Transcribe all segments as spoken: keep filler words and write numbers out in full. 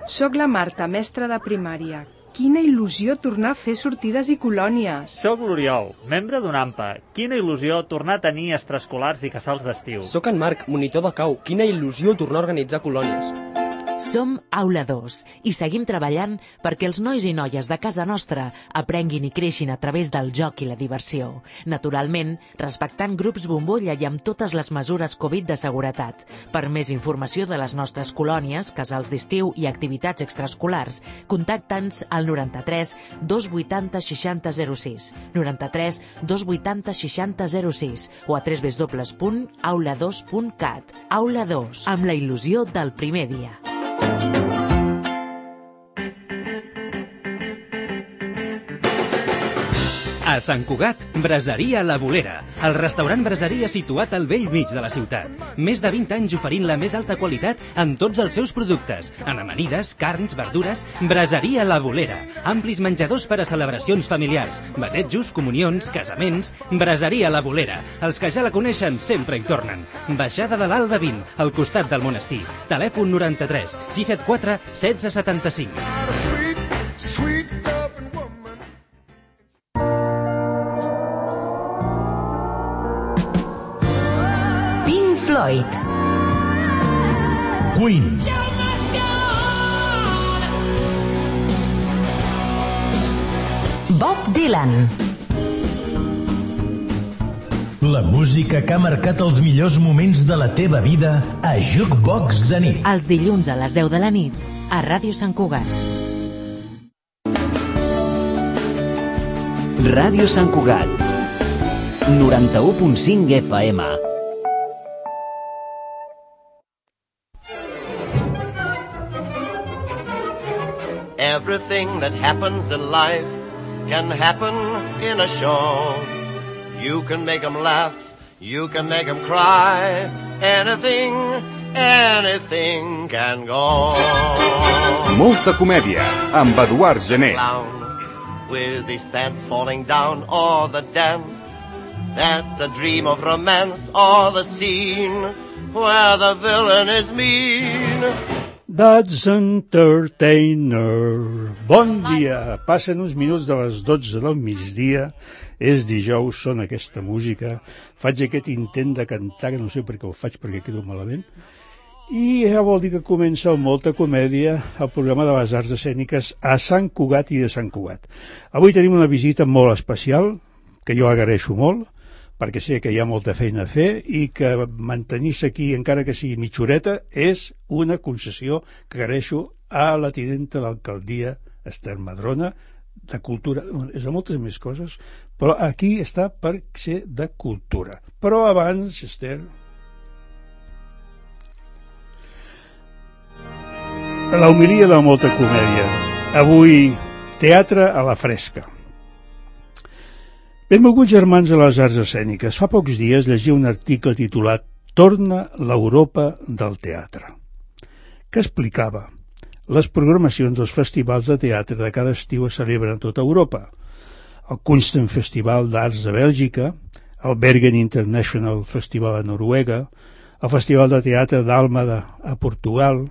Soc la Marta, mestra de primària. Quina il·lusió tornar a fer sortides i colònies. Soc l'Oriol, membre d'una AMPA. Quina il·lusió tornar a tenir extraescolars i casals d'estiu. Soc en Marc, monitor de cau. Quina il·lusió tornar a organitzar colònies. Som Aula dos i seguim treballant perquè els nois i noies de casa nostra aprenguin i creixin a través del joc i la diversió. Naturalment, respectant grups bombolla i amb totes les mesures Covid de seguretat. Per més informació de les nostres colònies, casals d'estiu i activitats extraescolars, contacta'ns al noranta-tres dos vuitanta seixanta zero sis, noranta-tres dos vuitanta seixanta zero sis o a w w w punt aula dos punt cat. Aula dos, amb la il·lusió del primer dia. A Sant Cugat, Braseria La Bolera, el restaurant braseria situat al vell mig de la ciutat. Més de vint anys oferint la més alta qualitat en tots els seus productes, en amanides, carns, verdures. Braseria La Bolera, amplis menjadors per a celebracions familiars, batejos, comunions, casaments. Braseria La Bolera, els que ja la coneixen sempre hi tornen. Baixada de l'Alba vint, al costat del monestir. Telèfon noranta-tres sis set quatre setze setanta-cinc. Floyd, Queen, Bob Dylan. La música que ha marcat els millors moments de la teva vida a Jukebox de nit. Els dilluns a les deu de la nit a Ràdio Sant Cugat. Ràdio Sant Cugat, noranta-u punt cinc F M. Everything that happens in life can happen in a show. You can make them laugh, you can make them cry. Anything, anything can go. Molta comèdia, amb Eduard Gené. With his pants falling down, or the dance that's a dream of romance, or the scene where the villain is mean. That's Entertainer. Bon dia. Passen uns minuts de les dotze del migdia. És dijous, sona aquesta música. Faig aquest intent de cantar, que no sé per què ho faig, perquè quedo malament. I ja vol dir que comença el Molta Comèdia, el programa de les arts escèniques a Sant Cugat i de Sant Cugat. Avui tenim una visita molt especial, que jo agraeixo molt, perquè sé que hi ha molta feina a fer i que mantenir-se aquí, encara que sigui mitjoreta, és una concessió que agraeixo a la tinenta d'alcaldia, Esther Madrona, de cultura, és de moltes més coses, però aquí està per ser de cultura. Però abans, Esther... La homilia de Molta Comèdia. Avui, teatre a la fresca. Benvolguts germans de les arts escèniques. Fa pocs dies llegia un article titulat Torna l'Europa del teatre, que explicava les programacions dels festivals de teatre de cada estiu es celebren a tota Europa. El Kunsten Festival d'Arts de Bèlgica, el Bergen International Festival a Noruega, el Festival de Teatre d'Àlmada a Portugal,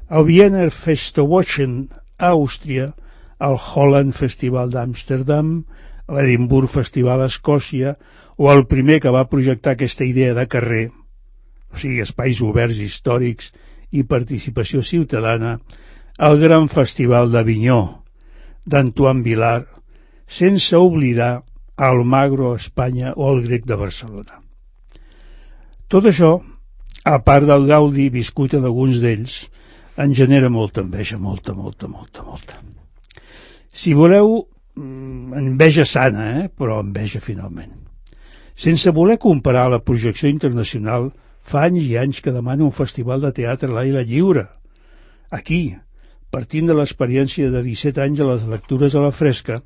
el Wiener Festwochen a Àustria, el Holland Festival d'Amsterdam, l'Edimburg Festival a Escòcia, o el primer que va projectar aquesta idea de carrer, o sigui, espais oberts històrics i participació ciutadana, el Gran Festival d'Avinyó, d'Antoine Vilar, sense oblidar el Magro a Espanya o el Grec de Barcelona. Tot això, a part del gaudi viscut en alguns d'ells, en genera molta enveja, molta, molta, molta, molta. Si voleu, enveja sana, eh? Però enveja finalment. Sense voler comparar la projecció internacional, fa anys i anys que demano un festival de teatre a l'aire lliure. Aquí, partint de l'experiència de disset anys a les lectures a la fresca,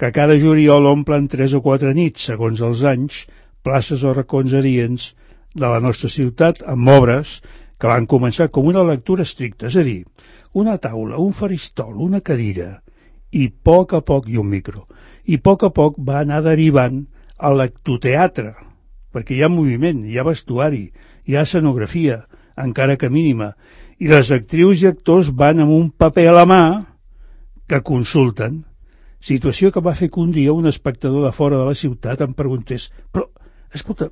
que cada juliol omplen tres o quatre nits, segons els anys, places o racons adients de la nostra ciutat amb obres que van començar com una lectura estricta, és a dir, una taula, un faristol, una cadira, i a poc a poc, i un micro, i a poc a poc va anar derivant a lectoteatre, perquè hi ha moviment, hi ha vestuari, hi ha escenografia, encara que mínima, i les actrius i actors van amb un paper a la mà que consulten, situació que va fer que un dia un espectador de fora de la ciutat em preguntés però, escolta,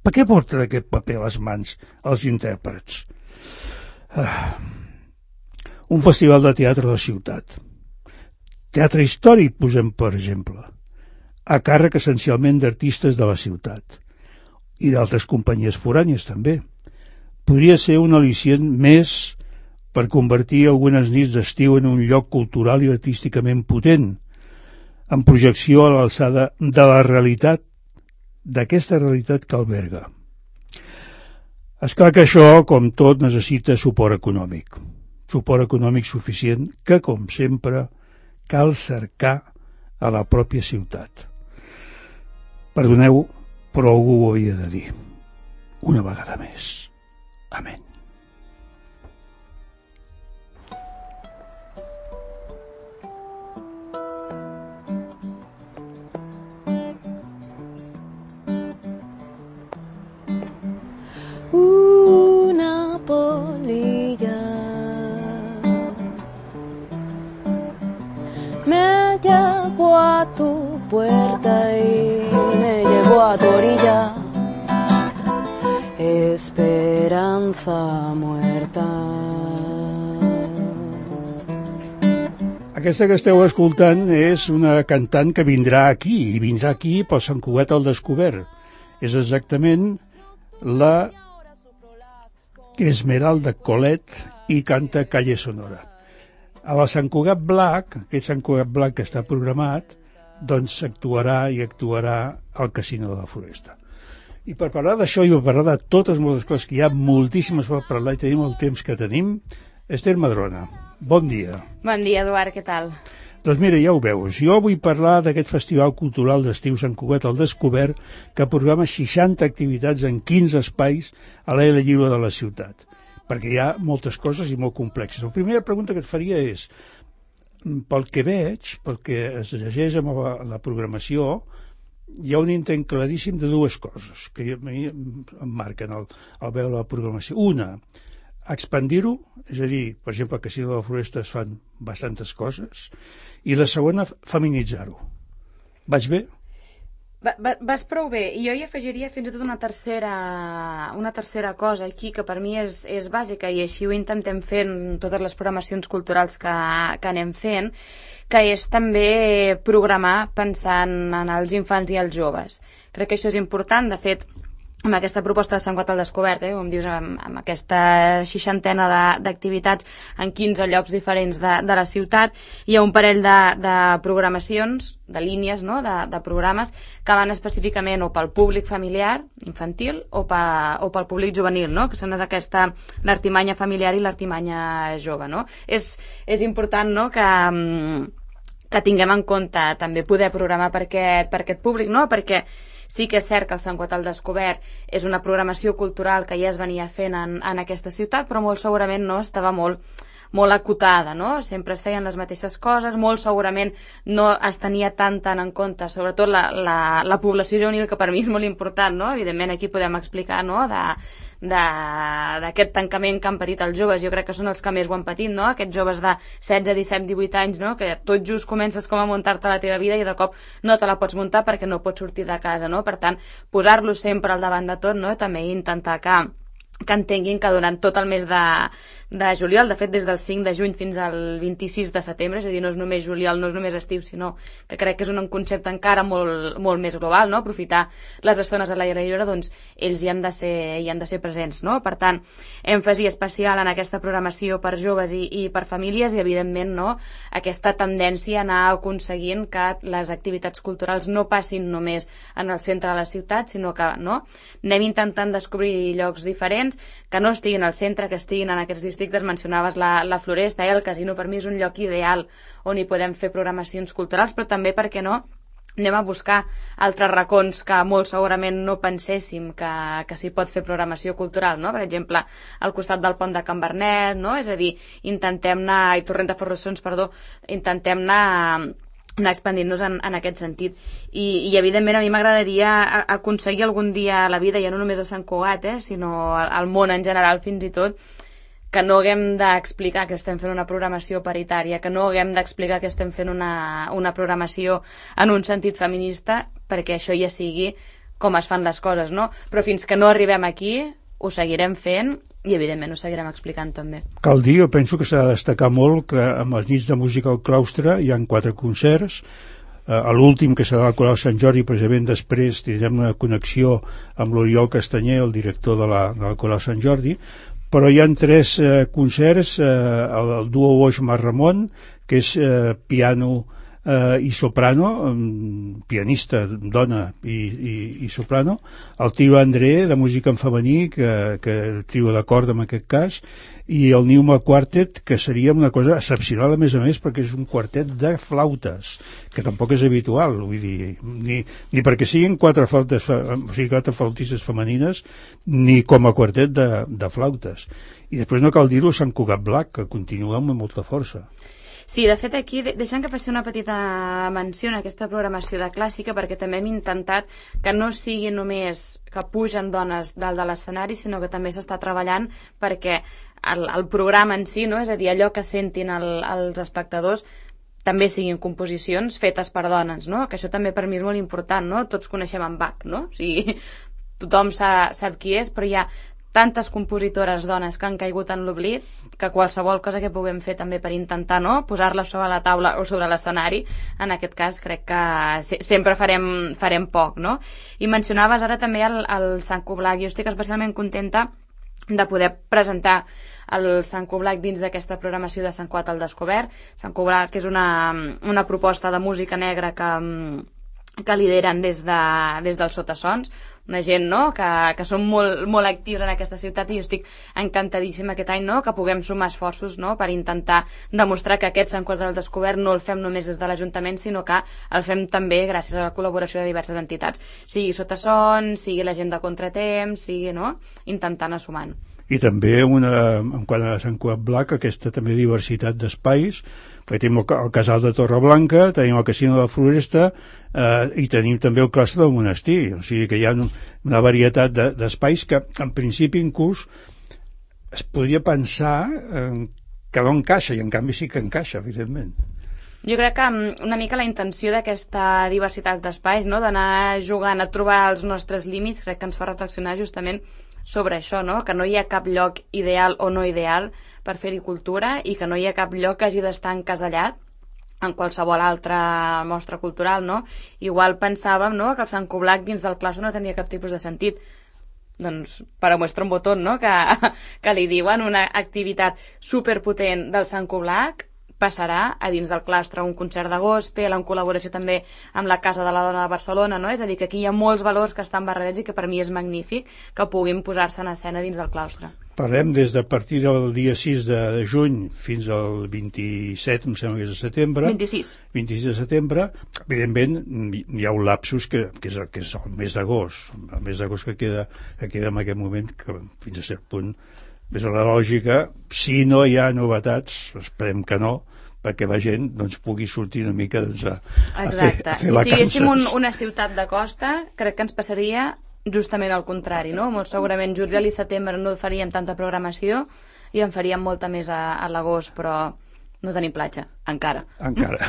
per què porten aquest paper a les mans els intèrprets? Ah. Un festival de teatre de la ciutat. Teatre històric, posem per exemple, a càrrec essencialment d'artistes de la ciutat i d'altres companyies forànies també. Podria ser un al·licient més per convertir algunes nits d'estiu en un lloc cultural i artísticament potent, amb projecció a l'alçada de la realitat, d'aquesta realitat que alberga. És clar que això, com tot, necessita suport econòmic. Suport econòmic suficient que, com sempre, cal cercar a la pròpia ciutat. Perdoneu, però algú ho havia de dir. Una vegada més. Amén. Una polilla me llevó a tu puerta y me llevó a tu orilla. Esperanza muerta. Aquesta que esteu escoltant és una cantant que vindrà aquí, i vindrà aquí pel Sant Cugat al Descobert. És exactament la Esmeralda Colet i canta Calle Sonora. A la Sant Cugat Black, aquest Sant Cugat Black que està programat, doncs actuarà i actuarà al Casino de la Floresta. I per parlar d'això i per parlar de totes moltes coses, que hi ha moltíssimes per parlar i tenim el temps que tenim, Esther Madrona, bon dia. Bon dia, Eduard, què tal? Doncs mira, ja ho veus, jo vull parlar d'aquest Festival Cultural d'Estiu Sant Cugat al Descobert que programa seixanta activitats en quinze espais a l'aire lliure de la ciutat, perquè hi ha moltes coses i molt complexes. La primera pregunta que et faria és, pel que veig, pel que es llegeix amb la, la programació, hi ha un intent claríssim de dues coses que a mi em marquen al, al veure la programació. Una, expandir-ho, és a dir, per exemple, al Casino de la Floresta es fan bastantes coses, i la segona, feminitzar-ho. Vaig bé? Va, va, vas prou bé, i jo hi afegiria fins i tot una tercera, una tercera cosa aquí que per mi és, és bàsica, i així ho intentem fer en totes les programacions culturals que, que anem fent, que és també programar pensant en els infants i els joves. Crec que això és important. De fet, amb aquesta proposta de Sant Cugat al Descobert, eh, com dius, amb, amb aquesta seixantena d'activitats en quinze llocs diferents de, de la ciutat, hi ha un parell de, de programacions, de línies, no?, de, de programes que van específicament o pel públic familiar, infantil, o, pa, o pel públic juvenil, no?, que són aquesta, l'artimanya familiar i l'artimanya jove, no? És, és important, no?, que... que tinguem en compte també poder programar per aquest, per aquest públic, no? Perquè sí que és cert que el Sant Cugat al Descobert és una programació cultural que ja es venia fent en, en aquesta ciutat, però molt segurament no estava molt, molt acotada, no? Sempre es feien les mateixes coses, molt segurament no es tenia tant tant en compte, sobretot la, la, la població juvenil, que per mi és molt important, no? Evidentment aquí podem explicar, no?, de d'aquest tancament que han patit els joves. Jo crec que són els que més ho han patit, no? Aquests joves de setze, disset, divuit anys, no?, que tot just comences com a muntar-te la teva vida i de cop no te la pots muntar perquè no pots sortir de casa, no? Per tant, posar-los sempre al davant de tot, no?, també intentar que que entenguin que durant tot el mes de, de juliol, de fet des del cinc de juny fins al vint-i-sis de setembre, és a dir, no és només juliol, no és només estiu, sinó que crec que és un concepte encara molt, molt més global, no?, aprofitar les estones a l'aire lliure, doncs ells hi han de ser, hi han de ser presents, no? Per tant, èmfasi especial en aquesta programació per joves i, i per famílies i, evidentment, no?, aquesta tendència a anar aconseguint que les activitats culturals no passin només en el centre de la ciutat, sinó que, no?, anem intentant descobrir llocs diferents que no estiguin al centre, que estiguin en aquests districtes. Mencionaves la, la Floresta, eh? El Casino per mi és un lloc ideal on hi podem fer programacions culturals, però també, per què no, anem a buscar altres racons que molt segurament no penséssim que, que s'hi pot fer programació cultural, no? Per exemple, al costat del pont de Can Bernet, no? És a dir, intentem anar, i Torrent de Ferrossons, perdó, intentem anar anar expandint-nos en, en aquest sentit. I, i evidentment a mi m'agradaria aconseguir algun dia a la vida, ja no només a Sant Cugat, eh, sinó al, al món en general fins i tot, que no haguem d'explicar que estem fent una programació paritària, que no haguem d'explicar que estem fent una, una programació en un sentit feminista, perquè això ja sigui com es fan les coses, no? Però fins que no arribem aquí, ho seguirem fent i evidentment ho seguirem explicant també. Cal dir, jo penso que s'ha de destacar molt que amb les nits de música al claustre hi ha quatre concerts. A l'últim, que serà al Coral Sant Jordi, precisament després tindrem una connexió amb l'Oriol Castanyer, el director de la, de la Coral Sant Jordi, però hi ha tres eh, concerts, eh, el, el duo Boix Mar Ramon, que és eh, piano eh, i soprano, um, pianista, dona i, i, i soprano, el trio André, de música en femení, que, que el trio de corda en aquest cas, i el Newma Quartet, que seria una cosa excepcional, a més a més, perquè és un quartet de flautes, que tampoc és habitual, vull dir, ni, ni perquè siguin quatre flautes, o sigui, quatre flautistes femenines, ni com a quartet de, de flautes. I després no cal dir-ho, Sant Cugat Black, que continua amb molta força. Sí, de fet aquí deixem que faci una petita menció en aquesta programació de clàssica, perquè també hem intentat que no sigui només que pugen dones dalt de l'escenari, sinó que també s'està treballant perquè el, el programa en si, no? És a dir, allò que sentin el, els espectadors també siguin composicions fetes per dones, no? Que això també per mi és molt important, no? Tots coneixem en Bach, no? O sigui, tothom sa, sap qui és, però hi ha tantes compositores dones que han caigut en l'oblit que qualsevol cosa que puguem fer també per intentar, no?, posar-la sobre la taula o sobre l'escenari, en aquest cas crec que se sempre farem, farem poc, no? I mencionaves ara també el, el Sant Coblac. Jo estic especialment contenta de poder presentar el Sant Coblac dins d'aquesta programació de Sant Cugat al Descobert. Sant Coblac és una, una proposta de música negra que, que lideren des, de, des dels Sotassons, una gent, no?, que, que són molt, molt actius en aquesta ciutat, i jo estic encantadíssima aquest any, no?, que puguem sumar esforços, no?, per intentar demostrar que aquest Sant Cugat al Descobert no el fem només des de l'Ajuntament, sinó que el fem també gràcies a la col·laboració de diverses entitats, sigui Sotassons, sigui la gent de Contratemps, sigui, no?, intentant anar sumant. I també una, en quant a Sant Cugat Black, aquesta també diversitat d'espais, perquè tenim el, el Casal de Torreblanca, tenim el Casino de la Floresta, eh, i tenim també el Claustre del Monestir, o sigui que hi ha un, una varietat d'espais de, que en principi inclús es podria pensar eh, que no encaixa, i en canvi sí que encaixa, evidentment. Jo crec que una mica la intenció d'aquesta diversitat d'espais, no?, d'anar jugant a trobar els nostres límits, crec que ens fa reflexionar justament sobre això, no?, que no hi ha cap lloc ideal o no ideal per fer-hi cultura, i que no hi ha cap lloc que hagi d'estar encasellat en qualsevol altra mostra cultural, no? Igual pensàvem, no?, que el Sant Coblac dins del claustre no tenia cap tipus de sentit. Doncs per a muestra un botó, no?, que, que li diuen una activitat superpotent del Sant Coblac passarà a dins del claustre, un concert de gospel en col·laboració també amb la Casa de la Dona de Barcelona, no? És a dir, que aquí hi ha molts valors que estan barrejats i que per mi és magnífic que puguin posar-se en escena dins del claustre. Parlem des de partir del dia sis de juny fins al vint-i-set, em sembla que és de setembre. vint-i-sis. vint-i-sis de setembre. Evidentment, hi ha un lapsus que, que, és, que és el mes d'agost. El mes d'agost que queda, que queda en aquest moment, que fins a cert punt és la lògica. Si no hi ha novetats, esperem que no, perquè la gent doncs, pugui sortir una mica doncs, a, a, fer, a fer si vacances. Si siguéssim un, una ciutat de costa, crec que ens passaria justament al contrari, no? Molt segurament juliol i setembre no faríem tanta programació i en faríem molta més a, a l'agost, però no tenim platja, encara. Encara.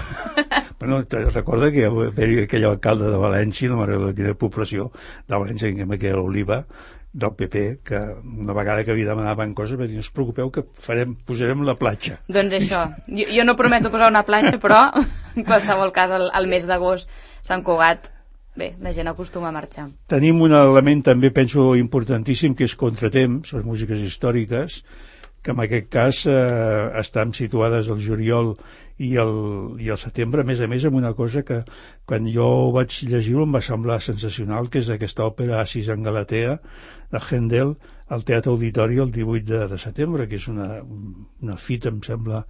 Bueno, te recorda que hi havia aquell alcalde de València, no m'agrada quina població de València, que era l'Oliva, del P P, que una vegada que li demanaven coses va dir, no us preocupeu que farem, posarem la platja. Doncs això, jo, jo no prometo posar una platja, però en qualsevol cas el, el mes d'agost Sant Cugat, bé, la gent acostuma a marxar. Tenim un element també, penso, importantíssim, que és Contratemps, les músiques històriques, que en aquest cas eh, estan situades al juliol i el, i el setembre, a més a més amb una cosa que quan jo vaig llegir-ho em va semblar sensacional, que és aquesta òpera Assis en Galatea de Händel al Teatre Auditori el divuit de, de setembre, que és una, una fita, em sembla,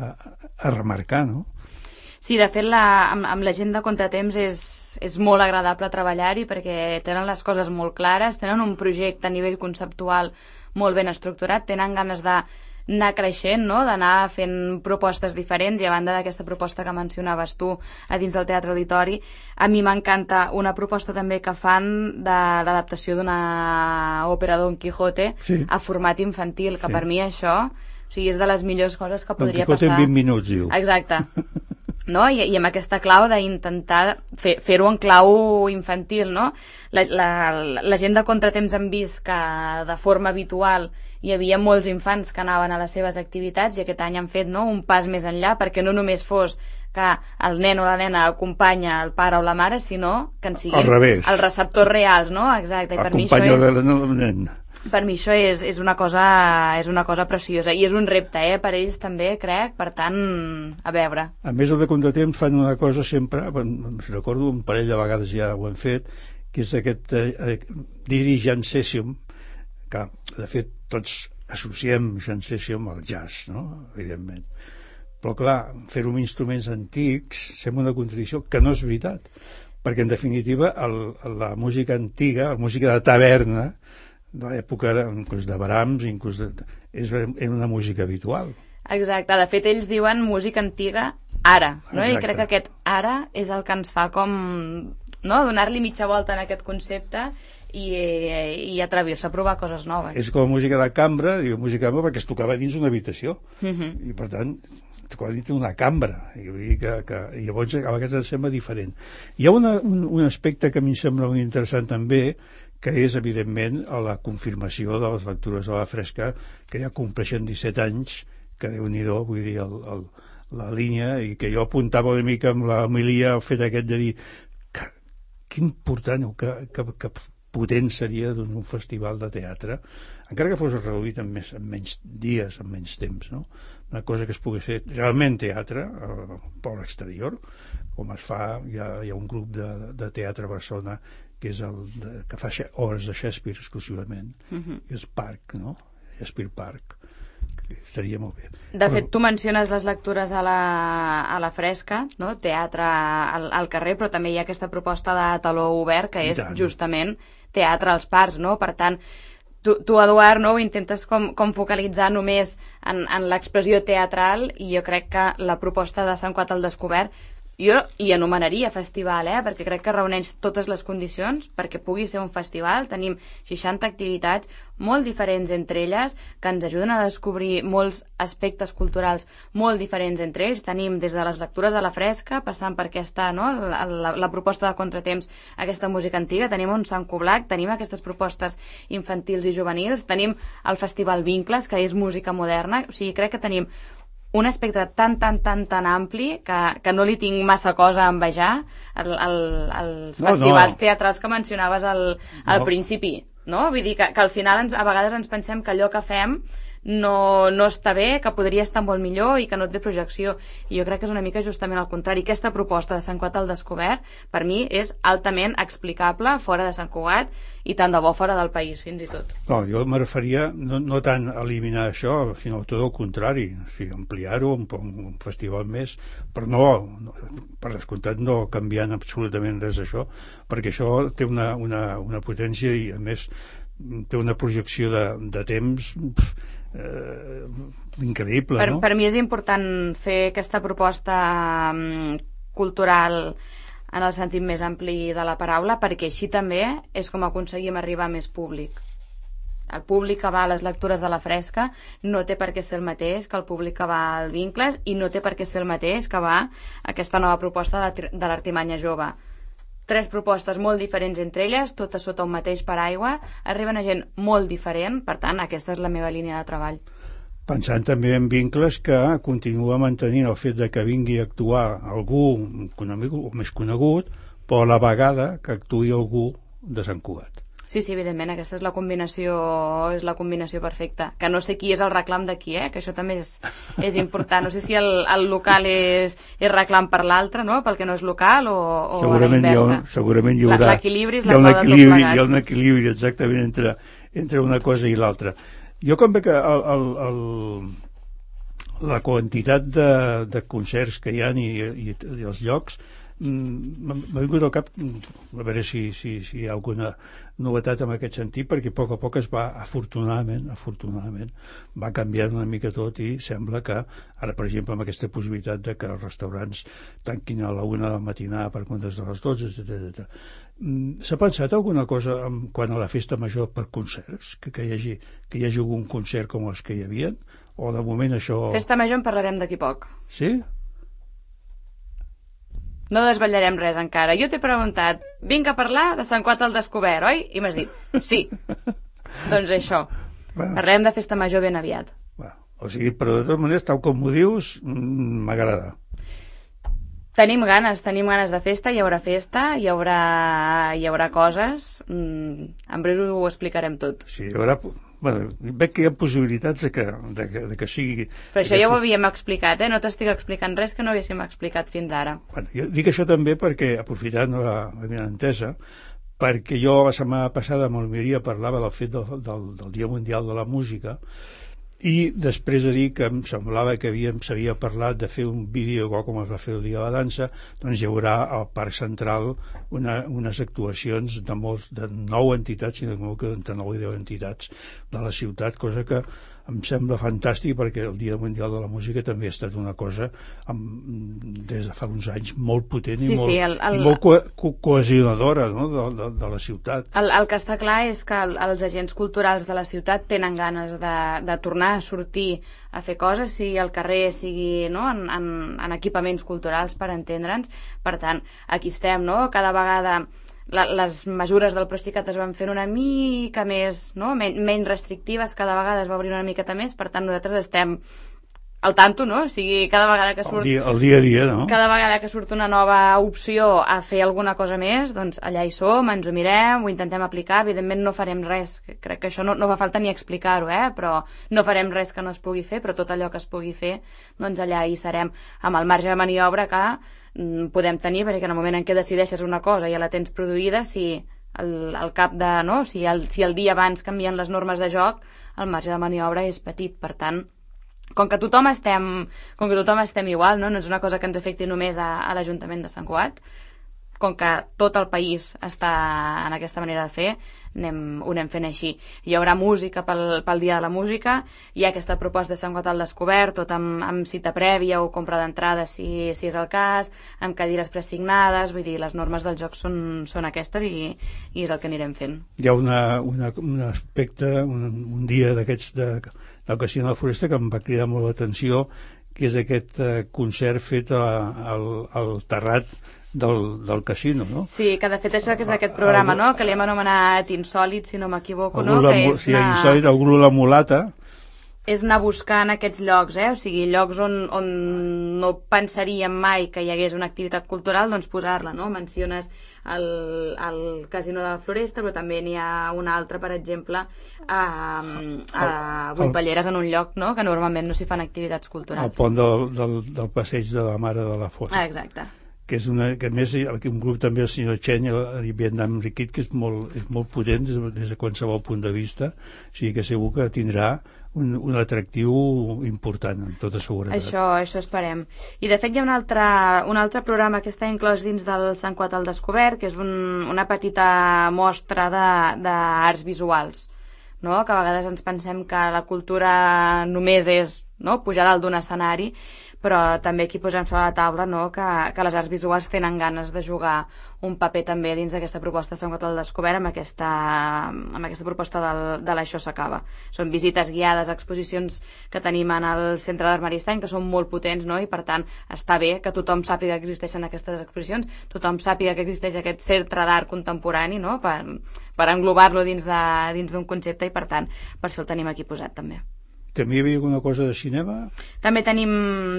a, a remarcar, no? Sí, de fet, la, amb, amb la gent de Contratemps és, és molt agradable treballar-hi perquè tenen les coses molt clares, tenen un projecte a nivell conceptual molt ben estructurat, tenen ganes de anar creixent, no? D'anar fent propostes diferents, i a banda d'aquesta proposta que mencionaves tu a dins del Teatre Auditori, a mi m'encanta una proposta també que fan de l'adaptació d'una òpera Don Quijote sí. a format infantil, que sí. per mi això, o sigui, és de les millors coses que podria passar. Don Quijote passar. en vint minuts, diu. Exacte. No? I, i amb aquesta clau d'intentar fer, fer-ho en clau infantil, no? La, la, la gent de Contratemps han vist que de forma habitual hi havia molts infants que anaven a les seves activitats, i aquest any han fet, no?, un pas més enllà, perquè no només fos que el nen o la nena acompanya el pare o la mare, sinó que en siguin els receptors reals, no? Exacte. I per mi això és... el nen. Per mi això és, és, una cosa, és una cosa preciosa, i és un repte, eh, per ells també, crec, per tant, a veure. A més, el de Contratemps fan una cosa sempre, recordo un parell de vegades ja ho han fet, que és aquest eh, Dirigent Session, que de fet tots associem Jazz Session al jazz, no?, evidentment. Però clar, fer-ho amb instruments antics sembla una contradicció, que no és veritat, perquè en definitiva el, la música antiga, la música de taverna, de l'època inclús de Brahms, inclús de, és una música habitual. Exacte, de fet ells diuen música antiga ara, no? I crec que aquest ara és el que ens fa com, no?, donar-li mitja volta en aquest concepte i, i atrevir-se a provar coses noves. És com música de cambra, diu música de cambra perquè es tocava dins una habitació, uh-huh. i per tant tocava dins una cambra, i, vull dir que, que, i llavors a vegades em sembla diferent. Hi ha una, un, un aspecte que a mi em sembla molt interessant també, que és, evidentment, la confirmació de les lectures de la Fresca, que ja compleixen disset anys, que Déu-n'hi-do, vull dir, el, el, la línia, i que jo apuntava una mica amb l'homilia el fet aquest de dir que, que important o que, que, que potent seria doncs, un festival de teatre, encara que fos reduït en, més, en menys dies, en menys temps, no? Una cosa que es pugui fer realment teatre eh, per l'exterior, com es fa, hi ha, hi ha un grup de, de teatre a Barcelona que és el de, que fa obres de Shakespeare exclusivament, uh-huh. i és Parc, no? Shakespeare Park, que estaria molt bé. De Però... fet, tu menciones les lectures a la, a la Fresca, no? Teatre al, al carrer, però també hi ha aquesta proposta de taló obert, que és justament teatre als parcs, no? Per tant, tu, tu Eduard, no? Ho intentes com, com focalitzar només en, en l'expressió teatral, i jo crec que la proposta de Sant Cugat al Descobert jo hi anomenaria festival, eh? Perquè crec que reuneix totes les condicions perquè pugui ser un festival. Tenim seixanta activitats molt diferents entre elles, que ens ajuden a descobrir molts aspectes culturals molt diferents entre ells. Tenim des de les lectures de la Fresca, passant per aquesta, no?, la, la, la proposta de Contratemps, aquesta música antiga, tenim un Sant Coblac, tenim aquestes propostes infantils i juvenils, tenim el Festival Vincles, que és música moderna. O sigui, crec que tenim un espectre tan, tan, tan, tan ampli que, que no li tinc massa cosa a envejar el, el, els no, festivals no. teatrals que mencionaves al, al no. principi, no? Vull dir que, que al final ens, a vegades ens pensem que allò que fem no, no està bé, que podria estar molt millor i que no té projecció, i jo crec que és una mica justament al contrari. Aquesta proposta de Sant Cugat al Descobert per mi és altament explicable fora de Sant Cugat, i tant de bo fora del país, fins i tot. No, jo me referia no, no tant a eliminar això, sinó tot el contrari, o sigui, ampliar-ho, un, un festival més, però no, no, per descomptat no canviant absolutament res d'això, perquè això té una, una, una potència i a més té una projecció de, de temps eh, increïble, per, no? Per mi és important fer aquesta proposta um, cultural en el sentit més ampli de la paraula, perquè així també és com aconseguim arribar a més públic. El públic que va a les lectures de la Fresca no té per què ser el mateix que el públic que va al Vincles, i no té per què ser el mateix que va a aquesta nova proposta de, de l'Artimanya Jove. Tres propostes molt diferents entre elles, totes sota un mateix paraigua, arriben a gent molt diferent, per tant, aquesta és la meva línia de treball. Pensant també en Vincles, que continua mantenint el fet de que vingui a actuar algú conegut, o més conegut, però a la vegada que actuï algú de Sant Cugat. Sí, sí, evidentment, aquesta és la combinació, és la combinació perfecta. Que no sé qui és el reclam de qui, eh? Que això també és, és important. No sé si el, el local és, és reclam per l'altre, no?, pel que no és local, o, o segurament a la inversa. Hi ha, segurament hi haurà... L'equilibri és la clau de tot plegat. Hi ha un equilibri, exactament, entre, entre una cosa i l'altra. Jo com veig que el, el, el, la quantitat de, de concerts que hi ha i, i, i els llocs, m'ha vingut al cap a veure si, si, si hi ha alguna novetat en aquest sentit, perquè a poc a poc es va, afortunadament, afortunadament, va canviant una mica tot i sembla que, ara per exemple amb aquesta possibilitat de que els restaurants tanquin a la una del matinar per comptes de les dotze, etcètera. S'ha pensat alguna cosa en, quan a la festa major per concerts? Que, que, hi hagi, que hi hagi algun concert com els que hi havia? O de moment això... Festa major en parlarem d'aquí poc. Sí? No desvetllarem res encara. Jo t'he preguntat, vinc a parlar de Sant Cuat al Descobert, oi? I m'has dit, sí. Doncs això. Bueno. Parlem de festa major ben aviat. Bueno, o sigui, però de totes maneres, tal com ho dius, m'agrada. Tenim ganes, tenim ganes de festa, hi haurà festa, hi haurà, hi haurà coses. Mm, en breu ho explicarem tot. Sí, hi haurà... Bueno, veig que hi ha possibilitats de que, de que, de que sigui... Però això ja ho havíem explicat, eh? No t'estic explicant res que no haguéssim explicat fins ara. Bueno, jo dic això també perquè, aprofitant la, la meva entesa, perquè jo la setmana passada amb el Miria parlava del fet del, del, del Dia Mundial de la Música, i després de dir que em semblava que havíem, s'havia parlat de fer un vídeo igual com es va fer el dia de la dansa, doncs hi haurà al Parc Central una, unes actuacions de, molts, de nou entitats, si no que entre nou i deu entitats de la ciutat, cosa que em sembla fantàstic perquè el Dia Mundial de la Música també ha estat una cosa amb, des de fa uns anys molt potent sí, i molt, sí, el, el, i molt co co cohesionadora, no? de, de, de la ciutat. El, el que està clar és que el, els agents culturals de la ciutat tenen ganes de, de tornar a sortir a fer coses, sigui al carrer, sigui no? en, en, en equipaments culturals, per entendre'ns. Per tant, aquí estem, no? Cada vegada la, les mesures del Procicat es van fent una mica més, no? Men menys restrictives, cada vegada es va obrir una miqueta més, per tant nosaltres estem al tanto, no? O sigui, cada vegada que surt... El dia, el dia a dia, no? Cada vegada que surt una nova opció a fer alguna cosa més, doncs allà hi som, ens ho mirem, ho intentem aplicar, evidentment no farem res, crec que això no, no fa falta ni explicar-ho, eh? Però no farem res que no es pugui fer, però tot allò que es pugui fer, doncs allà hi serem, amb el marge de maniobra que mm, podem tenir, perquè en el moment en què decideixes una cosa i ja la tens produïda, si el, el cap de... no? Si el, si el dia abans canvien les normes de joc, el marge de maniobra és petit, per tant... Com que tothom estem, com que tothom estem igual, no? No és una cosa que ens afecti només a, a l'Ajuntament de Sant Cugat, com que tot el país està en aquesta manera de fer, anem, ho anem fent així. Hi haurà música pel, pel Dia de la Música, hi ha aquesta proposta de Sant Cugat al Descobert, tot amb, amb cita prèvia o compra d'entrada si, si és el cas, amb cadires presignades, vull dir, les normes del joc són, són aquestes i, i és el que anirem fent. Hi ha una, una, un aspecte, un, un dia d'aquests de... del Casino de la Floresta que em va cridar molt l'atenció, que és aquest eh, concert fet a, al, al terrat del, del casino, no? Sí, que de fet això que és aquest programa, no? Que li hem anomenat Insòlit, si no m'equivoco, no? La, que és sí, una... Insòlit, el Gru la Mulata. És anar buscant aquests llocs, eh? O sigui, llocs on, on no pensaríem mai que hi hagués una activitat cultural, doncs posar-la, no? Menciones el, el Casino de la Floresta, però també n'hi ha un altre, per exemple, a, a Buipalleres, en un lloc, no? Que normalment no s'hi fan activitats culturals. El pont del, del, del passeig de la Mare de la Font. Ah, exacte. Que és una, que a més un grup també, el senyor Chen i Vietnam Riquit, que és molt, és molt potent des, des de qualsevol punt de vista, o sigui que segur que tindrà un, un atractiu important, amb tota seguretat. Això, això esperem. I de fet hi ha un altre, un altre programa que està inclòs dins del Sant Cuat al Descobert, que és un, una petita mostra d'arts visuals, no? Que a vegades ens pensem que la cultura només és, no?, pujar dalt d'un escenari, però també aquí posem sobre la taula, no?, que, que les arts visuals tenen ganes de jugar un paper també dins d'aquesta proposta de Sant Cuat al Descobert amb aquesta, amb aquesta proposta del, de l'Això s'acaba. Són visites guiades, exposicions que tenim en el Centre d'Art Maristany, que són molt potents, no?, i per tant està bé que tothom sàpiga que existeixen aquestes exposicions, tothom sàpiga que existeix aquest centre d'art contemporani, no?, per, per englobar-lo dins de, dins d'un concepte, i per tant per això el tenim aquí posat també. També hi havia alguna cosa de cinema? També tenim,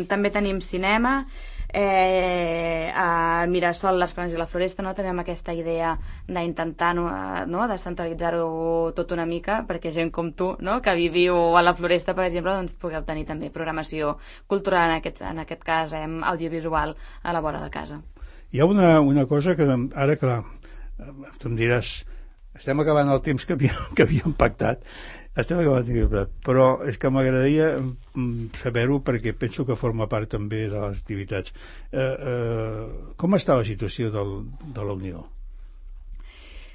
també tenim cinema, eh, a Mirasol, les Planes i la Floresta, no? També amb aquesta idea d'intentar, no, no? descentralitzar-ho tot una mica, perquè gent com tu, no?, que viviu a la Floresta, per exemple, doncs pugueu tenir també programació cultural, en aquest, en aquest cas eh, audiovisual, a la vora de casa. Hi ha una, una cosa que ara, clar, tu em diràs, estem acabant el temps que havíem, que havíem pactat. Estem acabant el temps que havíem pactat. Però és que m'agradaria saber-ho perquè penso que forma part també de les activitats. Eh, eh, com està la situació del, de la Unió?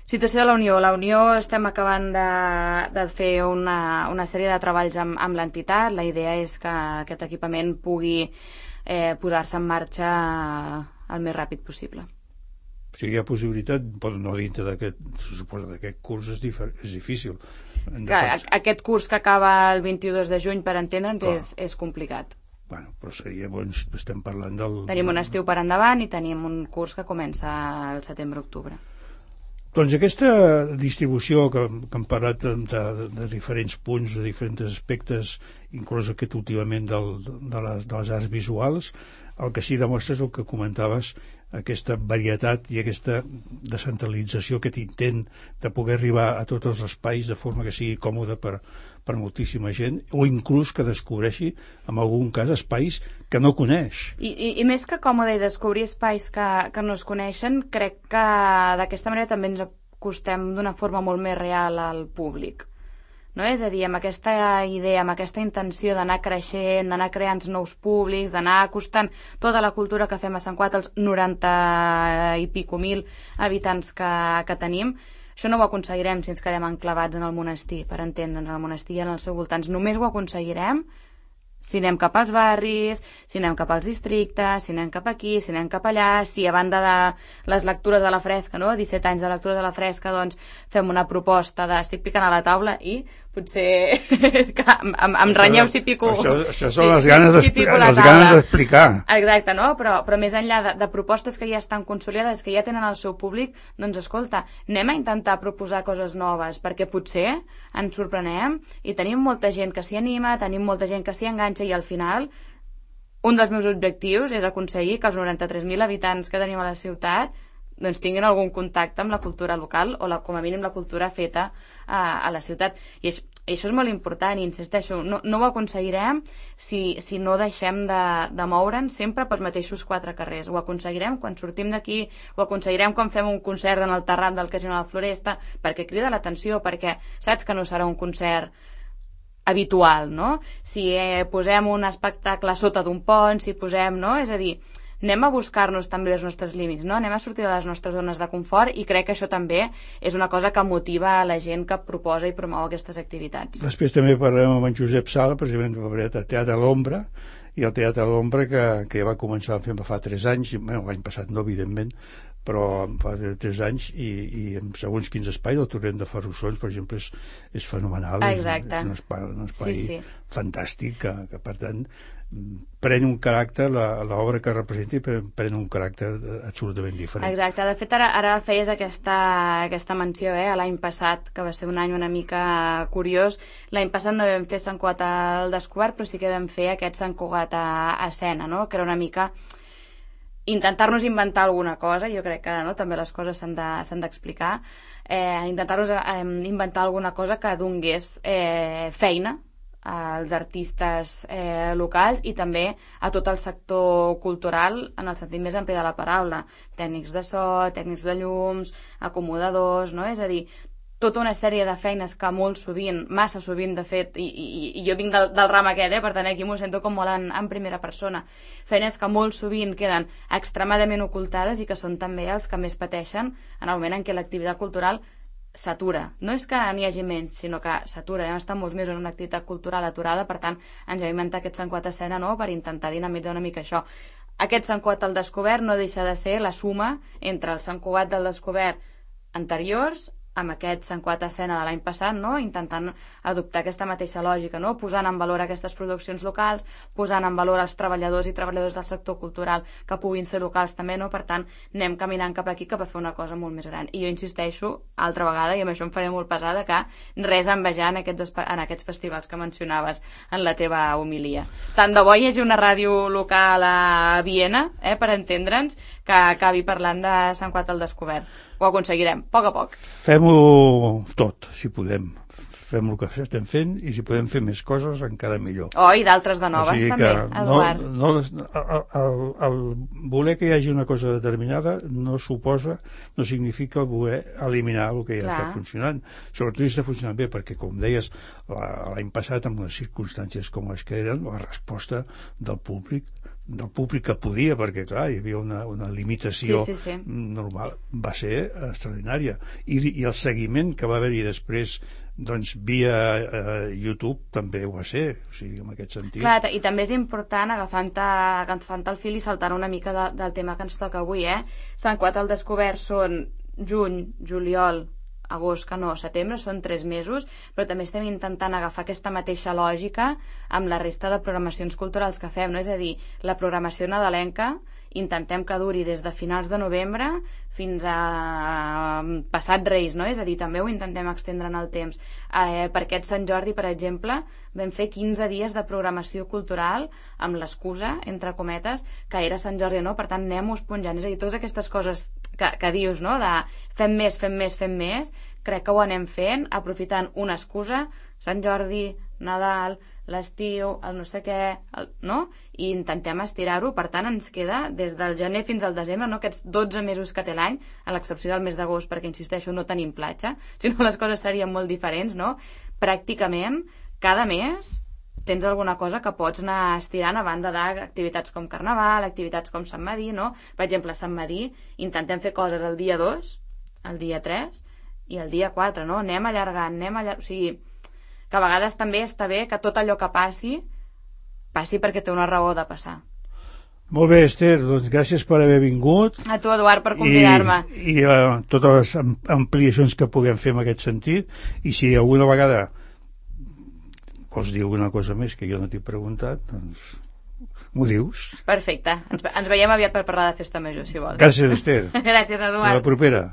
Situació de la Unió. La Unió estem acabant de, de fer una, una sèrie de treballs amb, amb l'entitat. La idea és que aquest equipament pugui eh, posar-se en marxa el més ràpid possible. O sigui, hi ha possibilitat, però no dintre d'aquest, se suposa d'aquest curs és, difer, és difícil. Clar, aquest curs que acaba el vint-i-dos de juny, per entendre'ns, és, és complicat. Bueno, però seria, doncs, estem parlant del... Tenim un estiu per endavant i tenim un curs que comença al setembre-octubre. Doncs aquesta distribució que, que hem parlat de, de, de diferents punts, de diferents aspectes, inclús aquest últimament del, de, les, de les arts visuals, el que sí demostra és el que comentaves, aquesta varietat i aquesta descentralització, aquest intent de poder arribar a tots els espais de forma que sigui còmode per, per moltíssima gent, o inclús que descobreixi, en algun cas, espais que no coneix. I, i, i més que còmode i descobrir espais que, que no es coneixen, crec que d'aquesta manera també ens acostem d'una forma molt més real al públic. No? És a dir, amb aquesta idea, amb aquesta intenció d'anar creixent, d'anar creant nous públics, d'anar acostant tota la cultura que fem a Sant Cugat als noranta i pico mil habitants que, que tenim, això no ho aconseguirem si ens quedem enclavats en el monestir, per entendre'ns, el monestir i en els seus voltants. Només ho aconseguirem si anem cap als barris, si anem cap als districtes, si anem cap aquí, si anem cap allà, si a banda de les lectures a la fresca, no? disset anys de lectures a la fresca, doncs fem una proposta de... Estic picant a la taula i potser que em, em renyeu si pico... Això, això són sí, les ganes si, si les ganes d'explicar. Exacte, no? Però, però més enllà de, de propostes que ja estan consolidades, que ja tenen el seu públic, doncs escolta, anem a intentar proposar coses noves, perquè potser ens sorprenem i tenim molta gent que s'hi anima, tenim molta gent que s'hi enganxa i al final un dels meus objectius és aconseguir que els noranta-tres mil habitants que tenim a la ciutat doncs tinguin algun contacte amb la cultura local o la, com a mínim la cultura feta a, a la ciutat. I això, això és molt important i insisteixo, no, no ho aconseguirem si, si no deixem de, de moure'ns sempre pels mateixos quatre carrers. Ho aconseguirem quan sortim d'aquí, ho aconseguirem quan fem un concert en el terrat del Casino de la Floresta, perquè crida l'atenció, perquè saps que no serà un concert habitual, no? Si eh, posem un espectacle sota d'un pont, si posem, no? És a dir, anem a buscar-nos també els nostres límits, no? Anem a sortir de les nostres zones de confort i crec que això també és una cosa que motiva a la gent que proposa i promou aquestes activitats. Després també parlem amb en Josep Sala, precisament de Teatre a l'Ombra, i el Teatre a l'Ombra que, que ja va començar a fer fa tres anys, bueno, l'any passat no, evidentment, però fa tres anys i, i en segons quins espais, el Torrent de Ferrussons, per exemple, és, és fenomenal. Exacte. És, és un espai, un espai sí, sí. fantàstic que, que, per tant, pren un caràcter, l'obra que representa pren un caràcter absolutament diferent. Exacte, de fet ara, ara feies aquesta, aquesta menció, eh? L'any passat, que va ser un any una mica curiós, l'any passat no vam fer Sant Cugat al descobert, però sí que vam fer aquest Sant Cugat a, a escena, no? Que era una mica intentar-nos inventar alguna cosa, jo crec que no, també les coses s'han de, s'han d'explicar, eh, intentar-nos eh, inventar alguna cosa que donés eh, feina als artistes eh, locals i també a tot el sector cultural en el sentit més ampli de la paraula, tècnics de so, tècnics de llums, acomodadors, no? És a dir, tota una sèrie de feines que molt sovint, massa sovint de fet, i, i, i jo vinc del, del ram aquest, eh, per tant aquí m'ho sento com molt en, en primera persona, feines que molt sovint queden extremadament ocultades i que són també els que més pateixen en el moment en què l'activitat cultural s'atura. No és que n'hi hagi menys, sinó que s'atura. Hem estat molts mesos en una activitat cultural aturada, per tant, ens hem inventat aquest Sant Cugat a escena, no?, per intentar dinamitzar una mica això. Aquest Sant Cugat al descobert no deixa de ser la suma entre el Sant Cugat del descobert anteriors amb aquest Sant Cugat a escena de l'any passat, no?, intentant adoptar aquesta mateixa lògica, no?, posant en valor aquestes produccions locals, posant en valor els treballadors i treballadors del sector cultural que puguin ser locals també, no? Per tant, anem caminant cap aquí cap a fer una cosa molt més gran. I jo insisteixo, altra vegada, i amb això em faré molt pesada, que res a envejar en aquests, en aquests festivals que mencionaves en la teva homilia. Tant de bo hi hagi una ràdio local a Viena, eh, per entendre'ns, que acabi parlant de Sant Cugat al descobert. Ho aconseguirem, a poc a poc. Fem-ho tot, si podem. fem el que estem fent, i si podem fer més coses, encara millor. Oh, i d'altres de noves, o sigui també, Eduard. No, no, el, el voler que hi hagi una cosa determinada no suposa, no significa voler eliminar el que ja Clar. Està funcionant. Sobretot si està funcionant bé, perquè, com deies, l'any passat, amb les circumstàncies com les que eren, la resposta del públic del públic que podia, perquè clar, hi havia una, una limitació sí, sí, sí. normal, va ser extraordinària, I, i el seguiment que va haver-hi després, doncs via eh, YouTube també ho va ser, o sigui, en aquest sentit. Clar, i també és important, agafant, agafant el fil i saltant una mica de, del tema que ens toca avui, eh? Sant Cugat al Descobert són juny, juliol, agost, que no, setembre, són tres mesos, però també estem intentant agafar aquesta mateixa lògica amb la resta de programacions culturals que fem, no? És a dir, la programació nadalenca intentem que duri des de finals de novembre fins a passat Reis, no? És a dir, també ho intentem extendre en el temps. Eh, per aquest Sant Jordi, per exemple, vam fer quinze dies de programació cultural amb l'excusa, entre cometes, que era Sant Jordi, no? Per tant, anem-ho esponjant. És a dir, totes aquestes coses que, que dius, no? De fem més, fem més, fem més, crec que ho anem fent, aprofitant una excusa, Sant Jordi, Nadal, l'estiu, el no sé què, el, no? I intentem estirar-ho. Per tant, ens queda des del gener fins al desembre, no? Aquests dotze mesos que té l'any, a l'excepció del mes d'agost, perquè, insisteixo, no tenim platja, si no les coses serien molt diferents, no? Pràcticament, cada mes tens alguna cosa que pots anar estirant a banda d'activitats com Carnaval, activitats com Sant Madí, no? Per exemple, a Sant Madí intentem fer coses el dia dos, el dia tres i el dia quatre, no? Anem allargant, anem allargant... O sigui, que a vegades també està bé que tot allò que passi passi perquè té una raó de passar. Molt bé, Esther, doncs gràcies per haver vingut. A tu, Eduard, per convidar-me. I, i uh, totes les ampliacions que puguem fer en aquest sentit, i si alguna vegada vols dir alguna cosa més que jo no t'he preguntat, doncs m'ho dius. Perfecte, ens, ens veiem aviat per parlar de Festa Major, si vols. Gràcies, Esther. Gràcies, Eduard. A la propera.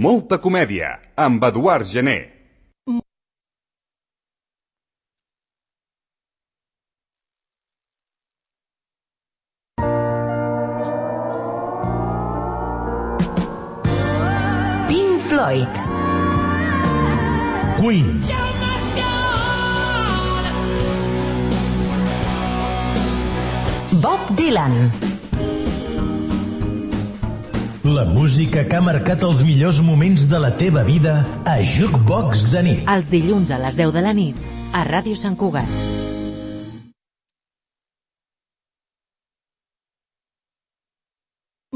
Molta comèdia, amb Eduard Gené. Pink Floyd. Queen. Bob Dylan. La música que ha marcat els millors moments de la teva vida a Jukebox de nit. Els dilluns a les deu de la nit a Ràdio Sant Cugat.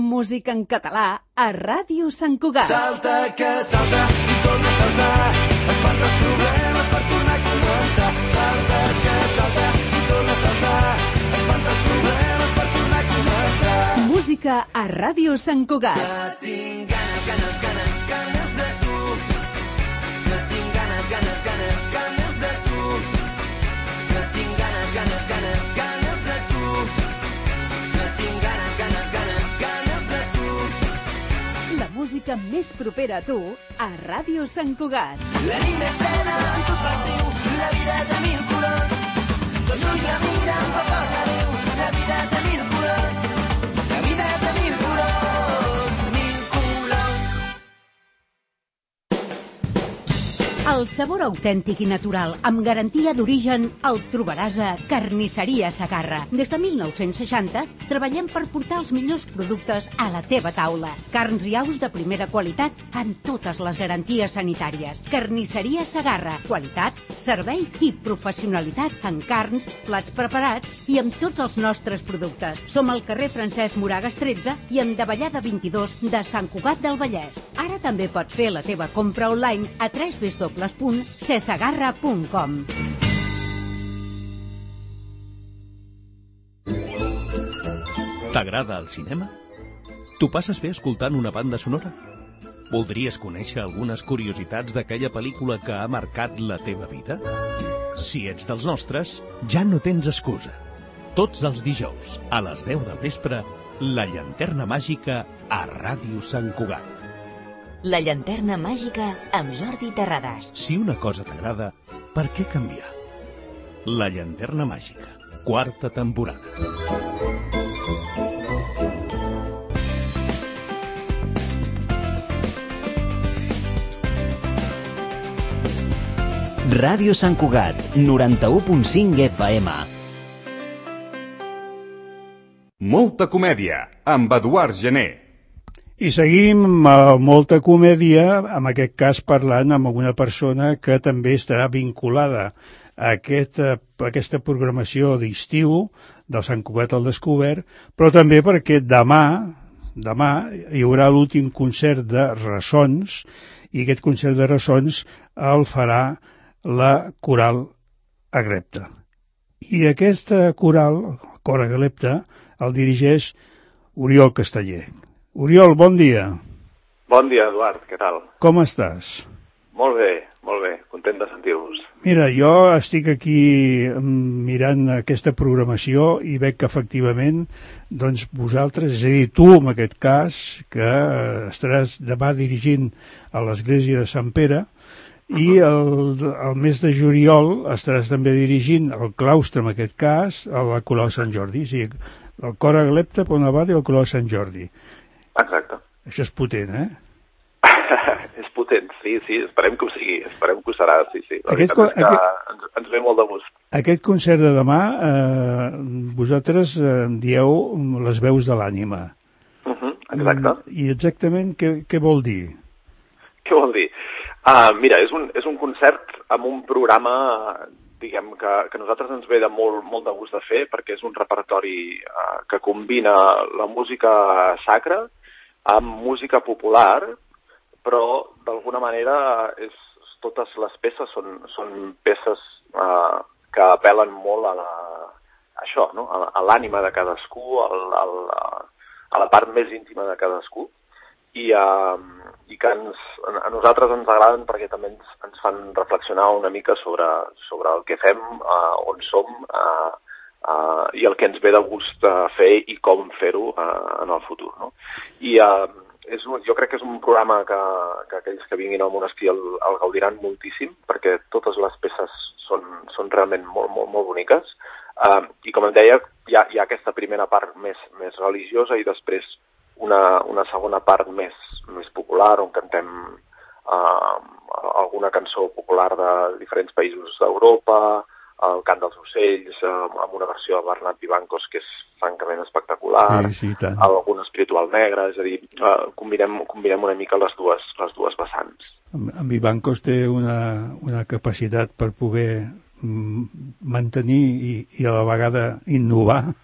Música en català a Ràdio Sant Cugat. Salta que salta i torna a saltar, espanta els problemes per tornar a començar. Salta que salta i torna a saltar, espanta els problemes per tornar a començar. Música a Ràdio Sant Cugat. Que tinc ganes, ganes, ganes, ganes de tu. Que tinc ganes, ganes, ganes, ganes de tu. Que tinc ganes, ganes, ganes, ganes de tu. Que tinc ganes, ganes, ganes, ganes de tu. La música més propera a tu a Ràdio Sant Cugat. La nit més plena amb tot l'estiu i la vida de mil colors. Dos ulls la miren però parla bé. El sabor autèntic i natural, amb garantia d'origen, el trobaràs a Carnisseria Segarra. Des de mil nou-cents seixanta treballem per portar els millors productes a la teva taula. Carns i aus de primera qualitat amb totes les garanties sanitàries. Carnisseria Segarra. Qualitat, servei i professionalitat en carns, plats preparats i amb tots els nostres productes. Som al carrer Francesc Moragas tretze i en Davallada vint-i-dos de Sant Cugat del Vallès. Ara també pots fer la teva compra online a w w w punt cesegarra punt com. T'agrada el cinema? T'ho passes bé escoltant una banda sonora? Voldries conèixer algunes curiositats d'aquella pel·lícula que ha marcat la teva vida? Si ets dels nostres, ja no tens excusa. Tots els dijous, a les deu del vespre, La Llanterna Màgica a Ràdio Sant Cugat. La Llanterna Màgica amb Jordi Terrades. Si una cosa t'agrada, per què canviar? La Llanterna Màgica, quarta temporada. Ràdio Sant Cugat, noranta-u punt cinc F M. Molta comèdia, amb Eduard Gené. I seguim amb molta comèdia, en aquest cas parlant amb una persona que també estarà vinculada a aquesta, a aquesta programació d'estiu del Sant Cugat al Descobert, però també perquè demà, demà hi haurà l'últim concert de Ressons, i aquest concert de Ressons el farà la Coral Aglepta. I aquesta coral, Cor Aglepta, el dirigeix Oriol Casteller. Oriol, bon dia. Bon dia, Eduard, què tal? Com estàs? Molt bé, molt bé, content de sentir-vos. Mira, jo estic aquí mirant aquesta programació i veig que efectivament, doncs vosaltres, és a dir, tu en aquest cas, que estaràs demà dirigint a l'Església de Sant Pere, i el, el mes de juliol estaràs també dirigint el claustre, en aquest cas, a la Coral Sant Jordi. O sigui, el Cor Aglepta per una banda i el Coral Sant Jordi. Exacte. Això és potent, eh? És potent, sí, sí, esperem que ho sigui, esperem que ho serà, sí, sí. La Aquest, veritat és que aquest, ens, ens ve molt de gust. Aquest concert de demà, eh, vosaltres eh, dieu les veus de l'ànima. Uh -huh, exacte. I exactament què, què vol dir? Què vol dir? Uh, mira, és un, és un concert amb un programa, diguem, que, que a nosaltres ens ve de molt, molt de gust de fer, perquè és un repertori uh, que combina la música sacra amb música popular, però d'alguna manera és, totes les peces són, són peces uh, que apel·len molt a la, a això, no? a, a l'ànima de cadascú, a, a, a la part més íntima de cadascú, i, uh, i que ens, a nosaltres ens agraden perquè també ens, ens fan reflexionar una mica sobre, sobre el que fem, uh, on som, uh, uh, i el que ens ve de gust uh, fer i com fer-ho uh, en el futur. No? I uh, és un, jo crec que és un programa que, que aquells que vinguin al monestir el, el gaudiran moltíssim, perquè totes les peces són, són realment molt, molt, molt boniques. Uh, I com em deia, hi ha, hi ha aquesta primera part més, més religiosa i després una, una segona part més, més popular, on cantem uh, alguna cançó popular de diferents països d'Europa, el cant dels ocells, uh, amb una versió de Bernat Vivancos que és francament espectacular, sí, sí, tant. algun espiritual negre, és a dir, uh, combinem, combinem una mica les dues, les dues vessants. En, en Vivancos té una, una capacitat per poder mantenir i, i a la vegada innovar.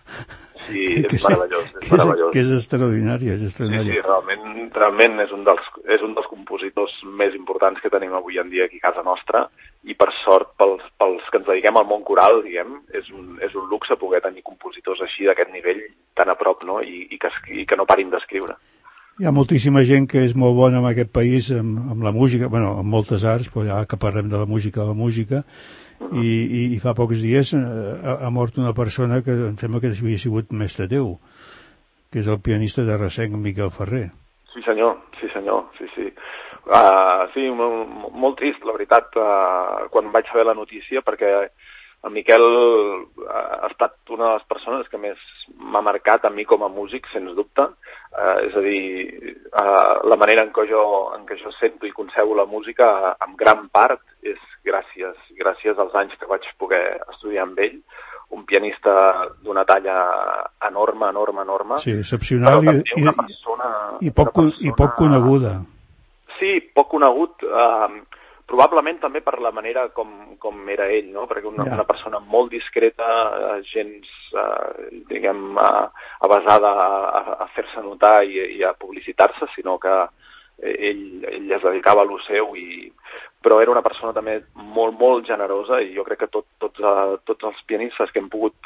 Sí, que és meravellós, és que meravellós. Que és extraordinari, és extraordinari. Sí, sí, realment, realment és un dels, és un dels compositors més importants que tenim avui en dia aquí a casa nostra, i per sort pels, pels que ens dediquem al món coral, diguem, és un, és un luxe poder tenir compositors així d'aquest nivell tan a prop, no? I, i, que, i que no parin d'escriure. Hi ha moltíssima gent que és molt bona en aquest país amb, amb la música, bueno, amb moltes arts, però ja que parlem de la música, de la música, i, i, i fa pocs dies ha, ha mort una persona que em sembla que havia sigut mestre teu, que és el pianista de Resenc, Miquel Ferrer. Sí senyor, sí senyor, sí, sí. Uh, sí, molt, molt trist, la veritat, uh, quan vaig saber la notícia, perquè el Miquel ha estat una de les persones que més m'ha marcat a mi com a músic, sens dubte. Uh, és a dir, uh, la manera en què, jo, en què jo sento i concebo la música, en gran part, és gràcies, gràcies als anys que vaig poder estudiar amb ell. Un pianista d'una talla enorme, enorme, enorme. Sí, excepcional i, i, persona, i, poc, persona... i poc coneguda. Sí, poc conegut, eh, probablement també per la manera com, com era ell, no? Perquè una, ja. una persona molt discreta, gens, eh, diguem, eh, avasada a, a fer-se notar i, i a publicitar-se, sinó que ell, ell es dedicava a lo seu, i, però era una persona també molt, molt generosa, i jo crec que tot, tots, uh, tots els pianistes que hem pogut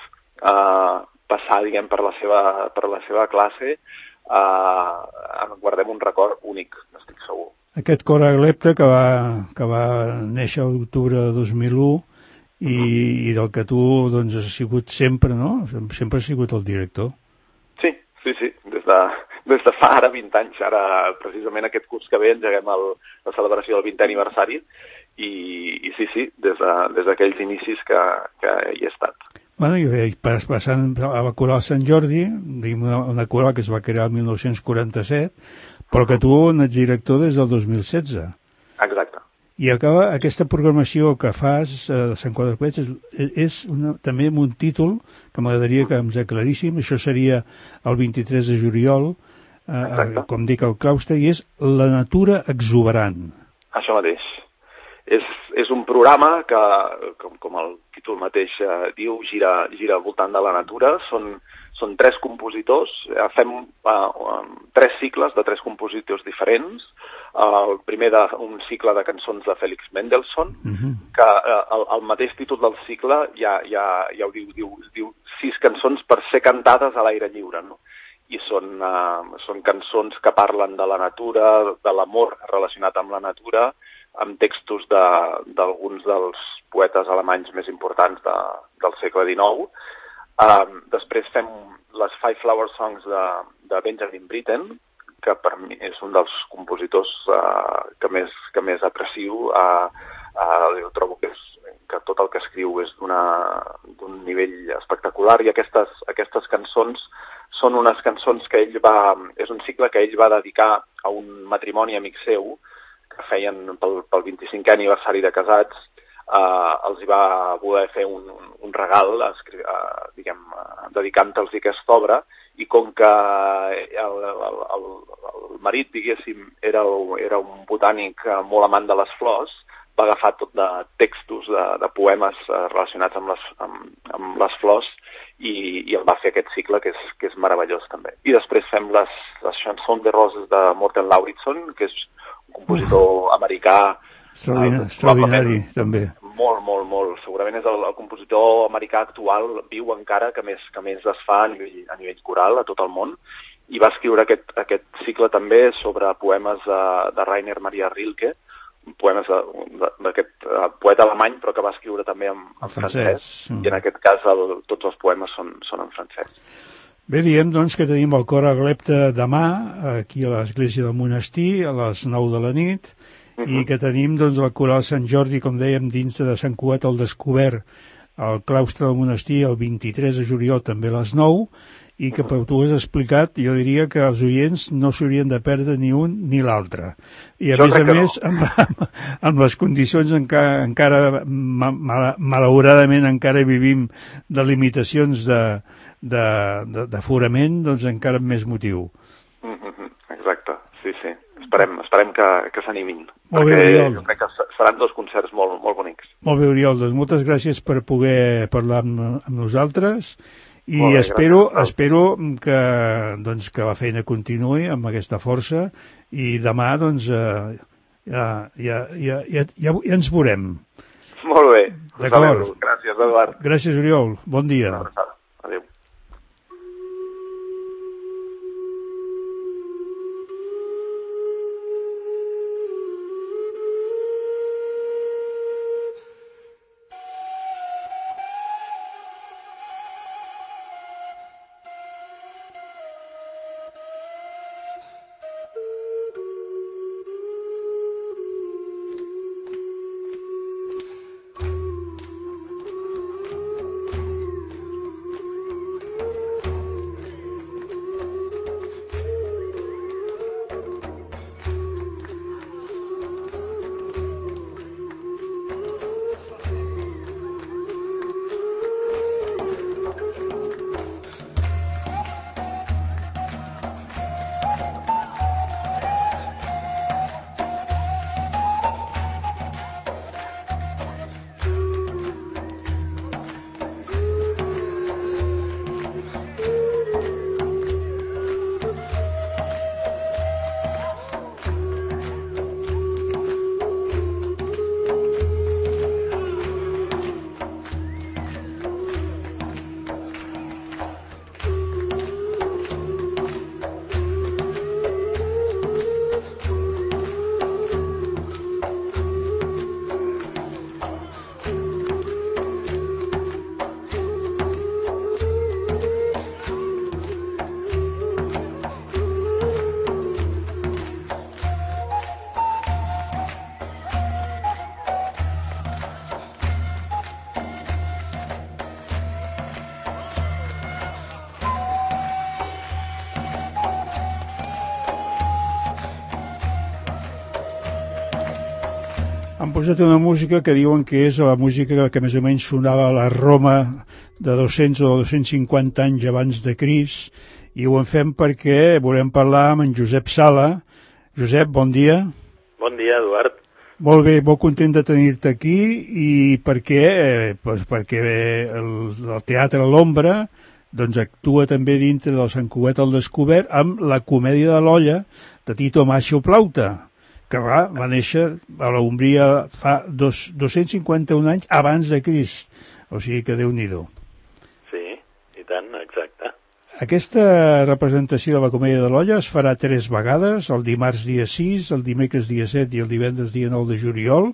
uh, passar, diguem, per la seva, per la seva classe, uh, en guardem un record únic, n'estic segur. Aquest cor Aglepte que va, que va néixer a l'octubre de dos mil u i, mm-hmm. i del que tu doncs, has sigut sempre, no? Sempre has sigut el director. Sí, sí, sí, des de, des de fa ara vint anys. Ara, precisament aquest curs que ve, engeguem el, la celebració del vintè aniversari i, i sí, sí, des d'aquells de, inicis que, que hi he estat. Bueno, i passant a la Coral Sant Jordi, una, una coral que es va crear el mil nou-cents quaranta-set, però que tu n'ets director des del dos mil setze. Exacte. I acaba aquesta programació que fas eh, de Sant Quadre Clets és, és una, també amb un títol que m'agradaria que ens aclaríssim. Això seria el vint-i-tres de juliol, eh, com dic al claustre, i és La natura exuberant. Això mateix. És, és un programa que, com, com el títol mateix eh, diu, gira, gira al voltant de la natura. Són Són tres compositors, fem uh, tres cicles de tres compositors diferents. Uh, el primer d'un cicle de cançons de Félix Mendelssohn, uh-huh. que uh, el, el mateix títol del cicle ja, ja, ja ho diu, diu, diu sis cançons per ser cantades a l'aire lliure, no? I són, uh, són cançons que parlen de la natura, de l'amor relacionat amb la natura, amb textos d'alguns de, dels poetes alemanys més importants de, del segle dinou. Uh, després fem les Five Flower Songs de, de Benjamin Britten, que per mi és un dels compositors uh, que, més, que més aprecio. Uh, uh, jo trobo que, és, que tot el que escriu és d'un nivell espectacular, i aquestes, aquestes cançons són unes cançons que ell va... És un cicle que ell va dedicar a un matrimoni amic seu que feien pel, pel vint-i-cinquè aniversari de casats. Uh, els hi va voler fer un, un regal, uh, diguem, uh, dedicant-los aquesta obra, i com que el, el, el, el marit, diguéssim, era, era un botànic uh, molt amant de les flors, va agafar tot de textos, de, de poemes uh, relacionats amb les, amb, amb les flors, i, i el va fer aquest cicle, que és, que és meravellós també. I després fem les, les Chansons de Roses de Morten Lauridsen, que és un compositor americà Extraordinari, uh, extraordinari també. Molt, molt, molt. Segurament és el, el compositor americà actual, viu encara, que més, que més es fa a nivell, a nivell coral a tot el món, i va escriure aquest, aquest cicle també sobre poemes de, de Rainer Maria Rilke, poemes d'aquest poeta alemany, però que va escriure també en, en francès, francès. Mm. I en aquest cas el, tots els poemes són, són en francès. Bé, diem doncs que tenim el cor Aglepte demà, aquí a l'església del monestir, a les nou de la nit, i que tenim doncs, la Coral Sant Jordi, com dèiem, dins de Sant Cugat al Descobert, al claustre del monestir, el vint-i-tres de juliol, també a les nou, i que per tu has explicat, jo diria que els oients no s'haurien de perdre ni un ni l'altre. I a jo més a més, no. amb, amb, amb les condicions encara, encara mal, malauradament encara vivim de limitacions d'aforament, doncs encara amb més motiu. Exacte, sí, sí. Esperem, esperem que, que s'animin. Molt bé, Oriol. Jo crec que seran dos concerts molt, molt bonics. Molt bé, Oriol, doncs moltes gràcies per poder parlar amb, amb nosaltres, i bé, espero, espero que, doncs, que la feina continuï amb aquesta força, i demà doncs, eh, ja, ja, ja, ja, ja, ja ens veurem. Molt bé. D'acord. Gràcies, Eduard. Gràcies, Oriol. Bon dia. Adéu. Han posat una música que diuen que és la música que més o menys sonava a la Roma de dos-cents o dos-cents cinquanta anys abans de Crist, i ho en fem perquè volem parlar amb en Josep Sala. Josep, bon dia. Bon dia, Eduard. Molt bé, molt content de tenir-te aquí, i perquè, eh, pues perquè el, el Teatre L'Ombra doncs actua també dintre del Sant Cugat al Descobert amb la Comèdia de l'Olla de Tito Macho Plauta, que va, va néixer a la Umbria fa dos, dos-cents cinquanta-un anys abans de Crist, o sigui que Déu-n'hi-do. Sí, i tant, exacte. Aquesta representació de la Comèdia de l'Olla es farà tres vegades, el dimarts dia sis, el dimecres dia set i el divendres dia nou de juliol,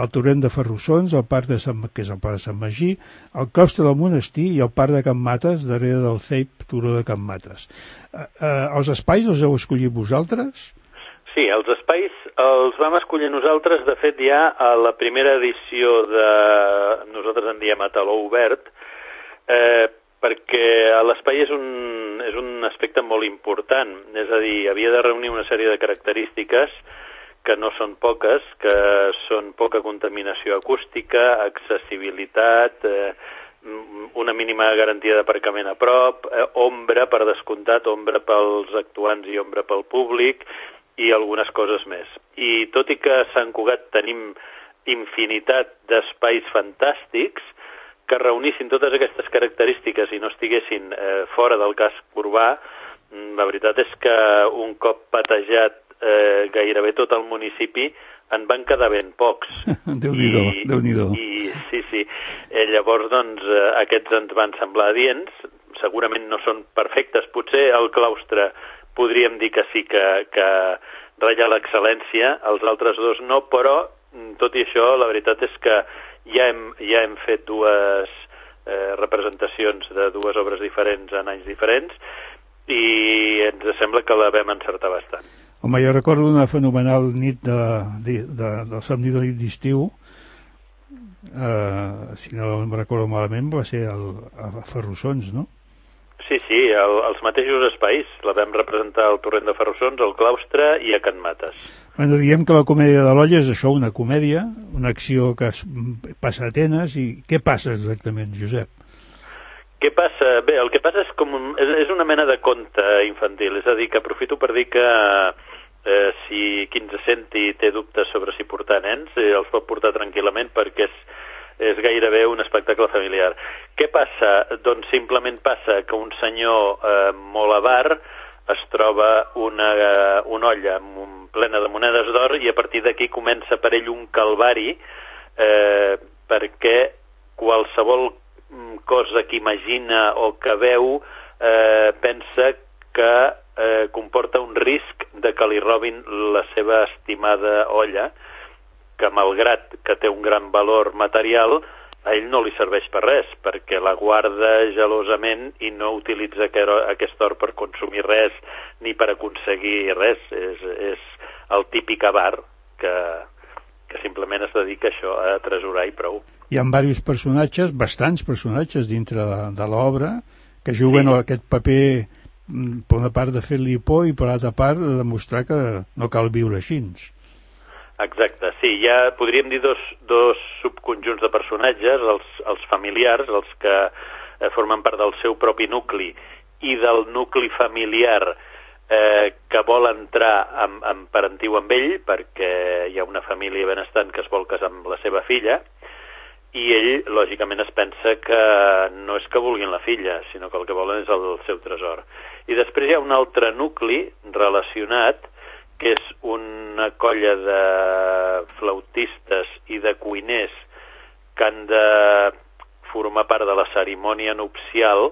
al Torrent de Ferrussons, al Parc de Sant, que és el Parc de Sant Magí, al Claustre del Monestir i al Parc de Can Mates, darrere del C E I P Turó de Can Mates. Eh, eh, els espais els heu escollit vosaltres? Sí, els espais els vam escollir nosaltres. De fet, ja a la primera edició de... nosaltres en diem a taló obert, eh, perquè l'espai és un, és un aspecte molt important. És a dir, havia de reunir una sèrie de característiques que no són poques, que són poca contaminació acústica, accessibilitat, eh, una mínima garantia d'aparcament a prop, eh, ombra, per descomptat, ombra pels actuants i ombra pel públic, i algunes coses més. I tot i que a Sant Cugat tenim infinitat d'espais fantàstics que reunissin totes aquestes característiques i no estiguessin eh, fora del casc urbà, la veritat és que un cop patejat eh, gairebé tot el municipi en van quedar ben pocs. Déu-n'hi-do, I, Déu-n'hi-do. I, sí, sí. Eh, llavors, doncs, eh, aquests ens van semblar adients. Segurament no són perfectes. Potser el claustre podríem dir que sí que, que ratlla l'excel·lència, els altres dos no, però tot i això la veritat és que ja hem, ja hem fet dues eh, representacions de dues obres diferents en anys diferents i ens sembla que la vam encertar bastant. Home, jo recordo una fenomenal nit de, de, de, del somni de nit d'estiu, eh, si no em recordo malament, va ser el, a Ferrussons, no? Sí, sí, el, els mateixos espais. La vam representar al Torrent de Ferrussons, al Claustre i a Can Mates. Bueno, diguem que la Comèdia de l'Olla és això, una comèdia, una acció que es passa a Atenes, i què passa exactament, Josep? Què passa? Bé, el que passa és com un, és, és una mena de conte infantil, és a dir, que aprofito per dir que eh, si qui ens senti té dubtes sobre si portar nens, eh, els pot portar tranquil·lament perquè és és gairebé un espectacle familiar. Què passa? Doncs simplement passa que un senyor eh, molt avar es troba una, una olla plena de monedes d'or i a partir d'aquí comença per ell un calvari eh, perquè qualsevol cosa que imagina o que veu eh, pensa que eh, comporta un risc de que li robin la seva estimada olla, que malgrat que té un gran valor material, a ell no li serveix per res, perquè la guarda gelosament i no utilitza aquest or per consumir res ni per aconseguir res. És, és el típic avar que, que simplement es dedica a això, a atresorar i prou. Hi ha diversos personatges, bastants personatges dintre de, de l'obra, que juguen sí. aquest paper, per una part de fer-li por i per l'altra part de demostrar que no cal viure així. Exacte, sí, ja podríem dir dos, dos subconjunts de personatges, els, els familiars, els que eh, formen part del seu propi nucli, i del nucli familiar eh, que vol entrar en, en parentiu amb ell, perquè hi ha una família benestant que es vol casar amb la seva filla, i ell, lògicament, es pensa que no és que vulguin la filla, sinó que el que volen és el seu tresor. I després hi ha un altre nucli relacionat, que és una colla de flautistes i de cuiners que han de formar part de la cerimònia nupcial,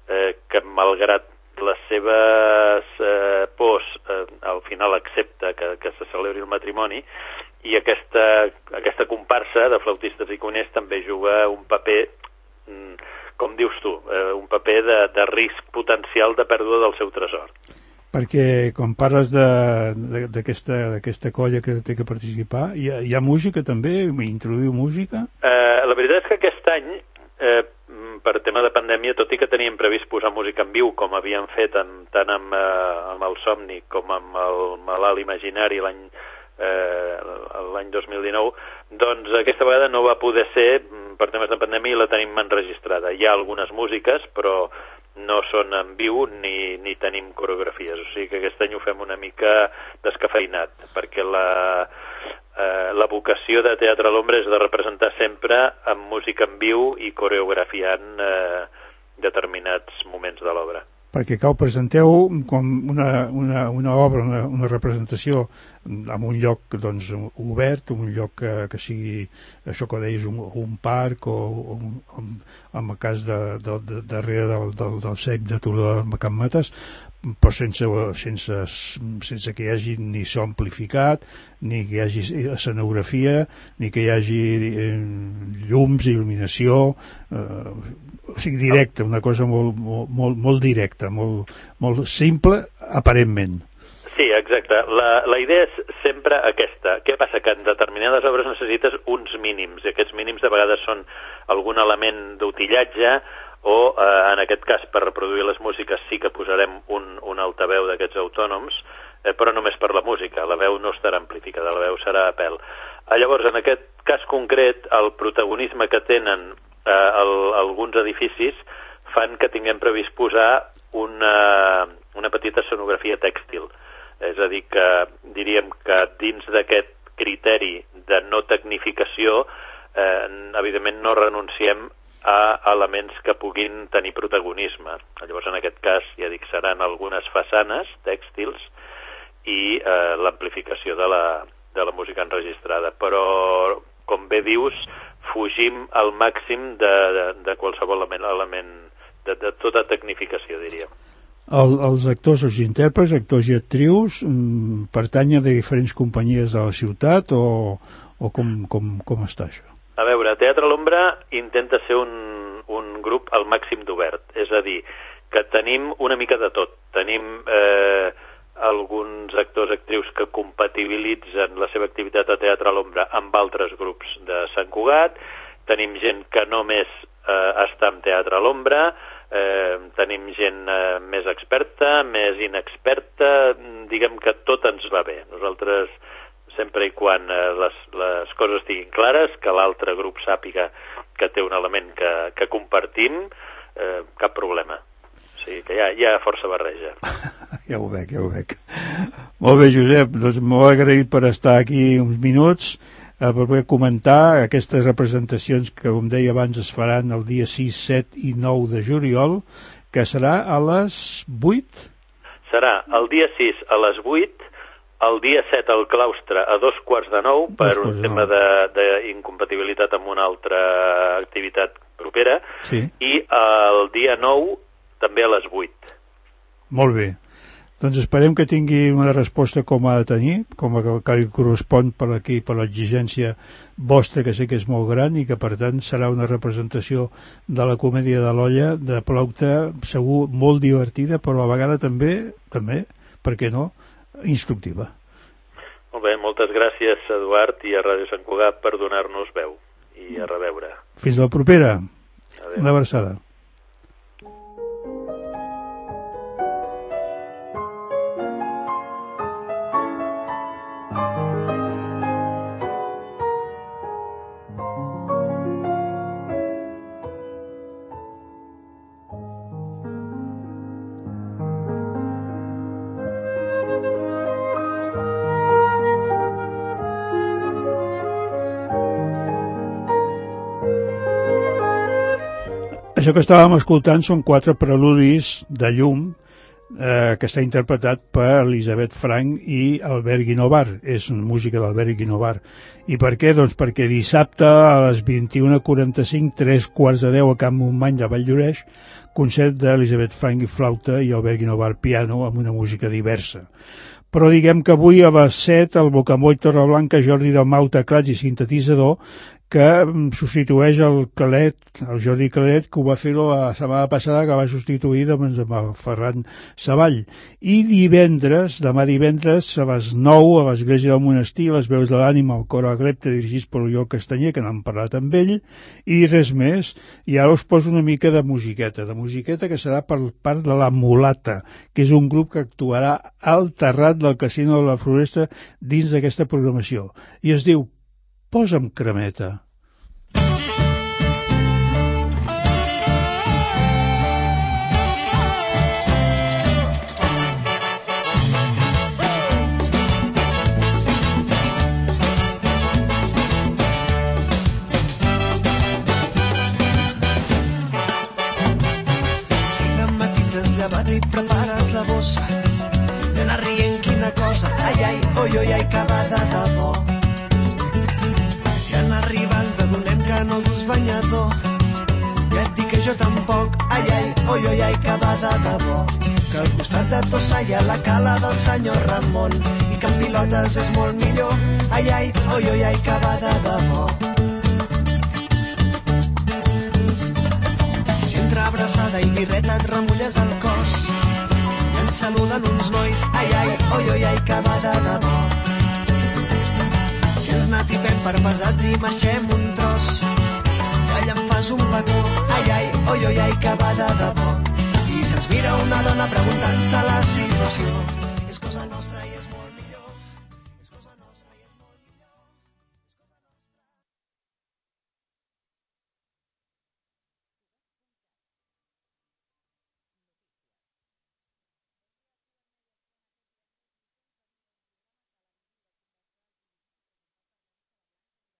eh, que malgrat les seves eh, pors eh, al final accepta que, que se celebri el matrimoni, i aquesta, aquesta comparsa de flautistes i cuiners també juga un paper, com dius tu, eh, un paper de, de risc potencial de pèrdua del seu tresor. Perquè quan parles d'aquesta colla que té que participar, hi ha, hi ha música també? Introduïu música? Eh, la veritat és que aquest any, eh, per tema de pandèmia, tot i que teníem previst posar música en viu, com havíem fet en, tant amb, eh, amb el Somni com amb el Malalt Imaginari l'any eh, l'any dos mil dinou, doncs aquesta vegada no va poder ser per temes de pandèmia i la tenim enregistrada. Hi ha algunes músiques, però no són en viu ni, ni tenim coreografies, o sigui que aquest any ho fem una mica descafeinat, perquè la, eh, la vocació de Teatre a l'Ombra és de representar sempre amb música en viu i coreografiant eh, determinats moments de l'obra. Perquè que ho presenteu com una, una, una obra, una, una representació en un lloc doncs, obert, un lloc que, que sigui, això que deies, un, un parc o, o un, en el cas de, de, de, darrere del, del, del C E P de Toló de Can Mates, però sense, sense, sense que hi hagi ni so amplificat, ni que hi hagi escenografia, ni que hi hagi eh, llums, il·luminació, eh, o sigui, directe, una cosa molt, molt, molt, molt directa, molt, molt simple, aparentment. Sí, exacte. La, la idea és sempre aquesta. Què passa? Que en determinades obres necessites uns mínims, i aquests mínims de vegades són algun element d'utillatge o, eh, en aquest cas, per reproduir les músiques sí que posarem un, un altaveu d'aquests autònoms, eh, però només per la música. La veu no estarà amplificada, la veu serà a pèl. Eh, llavors, en aquest cas concret, el protagonisme que tenen eh, el, alguns edificis fan que tinguem previst posar una, una petita escenografia tèxtil. És a dir, que diríem que dins d'aquest criteri de no tecnificació, eh, evidentment no renunciem a elements que puguin tenir protagonisme. Llavors, en aquest cas, ja dic, seran algunes façanes tèxtils i eh, l'amplificació de la, de la música enregistrada. Però, com bé dius, fugim al màxim de, de, de qualsevol element, element de, de tota tecnificació, diríem. El, els actors, els intèrprets, actors i actrius, mm, pertanyen de diferents companyies de la ciutat o, o com, com, com està això? A veure, Teatre a l'Ombra intenta ser un, un grup al màxim d'obert, és a dir, que tenim una mica de tot. Tenim eh, alguns actors, actrius que compatibilitzen la seva activitat a Teatre a l'Ombra amb altres grups de Sant Cugat, tenim gent que només eh, està en Teatre a l'Ombra, Eh, tenim gent eh, més experta, més inexperta, diguem que tot ens va bé. Nosaltres, sempre i quan eh, les, les coses estiguin clares, que l'altre grup sàpiga que té un element que, que compartim, eh, cap problema. O sigui que hi ha, hi ha força barreja. Ja ho veig, ja ho veig. Molt bé, Josep, doncs molt agraït per estar aquí uns minuts, per poder comentar aquestes representacions que, com deia abans, es faran el dia sis, set i nou de juliol, que serà a les vuit? Serà el dia sis a les vuit, el dia set al claustre a dos quarts de nou, per un tema d'incompatibilitat amb una altra activitat propera, sí. I el dia nou també a les vuit. Molt bé. Doncs esperem que tingui una resposta com ha de tenir, com a que li correspon per aquí, per l'exigència vostra, que sé que és molt gran, i que per tant serà una representació de la comèdia de l'olla, de Plaute, segur molt divertida, però a vegades també, també, per què no, instructiva. Molt bé, moltes gràcies, Eduard, i a Ràdio Sant Cugat per donar-nos veu, i a reveure. Fins la propera. Adéu. Una abraçada. Això que estàvem escoltant són quatre preludis de llum eh, que està interpretat per Elisabeth Frank i Albert Guinovar. És música d'Albert Guinovar. I per què? Doncs perquè dissabte a les vint-i-una quaranta-cinc, tres quarts de deu a Can Montmany de Valldoreix, concert d'Elisabeth Frank i flauta i Albert Guinovar piano amb una música diversa. Però diguem que avui a les set el Bocamoll Torreblanca, Jordi Dalmau, teclats i sintetitzador, que substitueix el Calet, el Jordi Calet, que ho va fer la setmana passada, que va substituir doncs, amb el Ferran Savall. I divendres, demà divendres, a les nou, a l'Església del Monestir, les veus de l'ànima, el cor Aglepte, dirigits per Oriol Castanyer, que n'hem parlat amb ell, i res més. I ara us poso una mica de musiqueta, de musiqueta que serà per part de La Mulata, que és un grup que actuarà al terrat del Casino de la Floresta dins d'aquesta programació. I es diu Posa'm cremeta. Si de matí t'has llevat i prepares la bossa i anar rient quina cosa, ai, ai, oi, oi, ai, que va de debò. Si en arribar ens adonem que no dus banyador, ja et dic que jo tampoc, ai, ai, oi, oi, ai, que va de debò. Que al costat de Tossa hi ha la cala del senyor Ramon i que en pilotes és molt millor, ai, ai, oi, oi, ai, que va de debò. Si entre abraçada i birreta et remulles el cos i ens saluden uns nois, ai, ai, oi, oi, ai, que va de debò. Si ens natipem per pesats i marxem un tros i allà em fas un petó, ai, ai, oi, oi, ai, que va de debò. I se'ns mira una dona preguntant-se la situació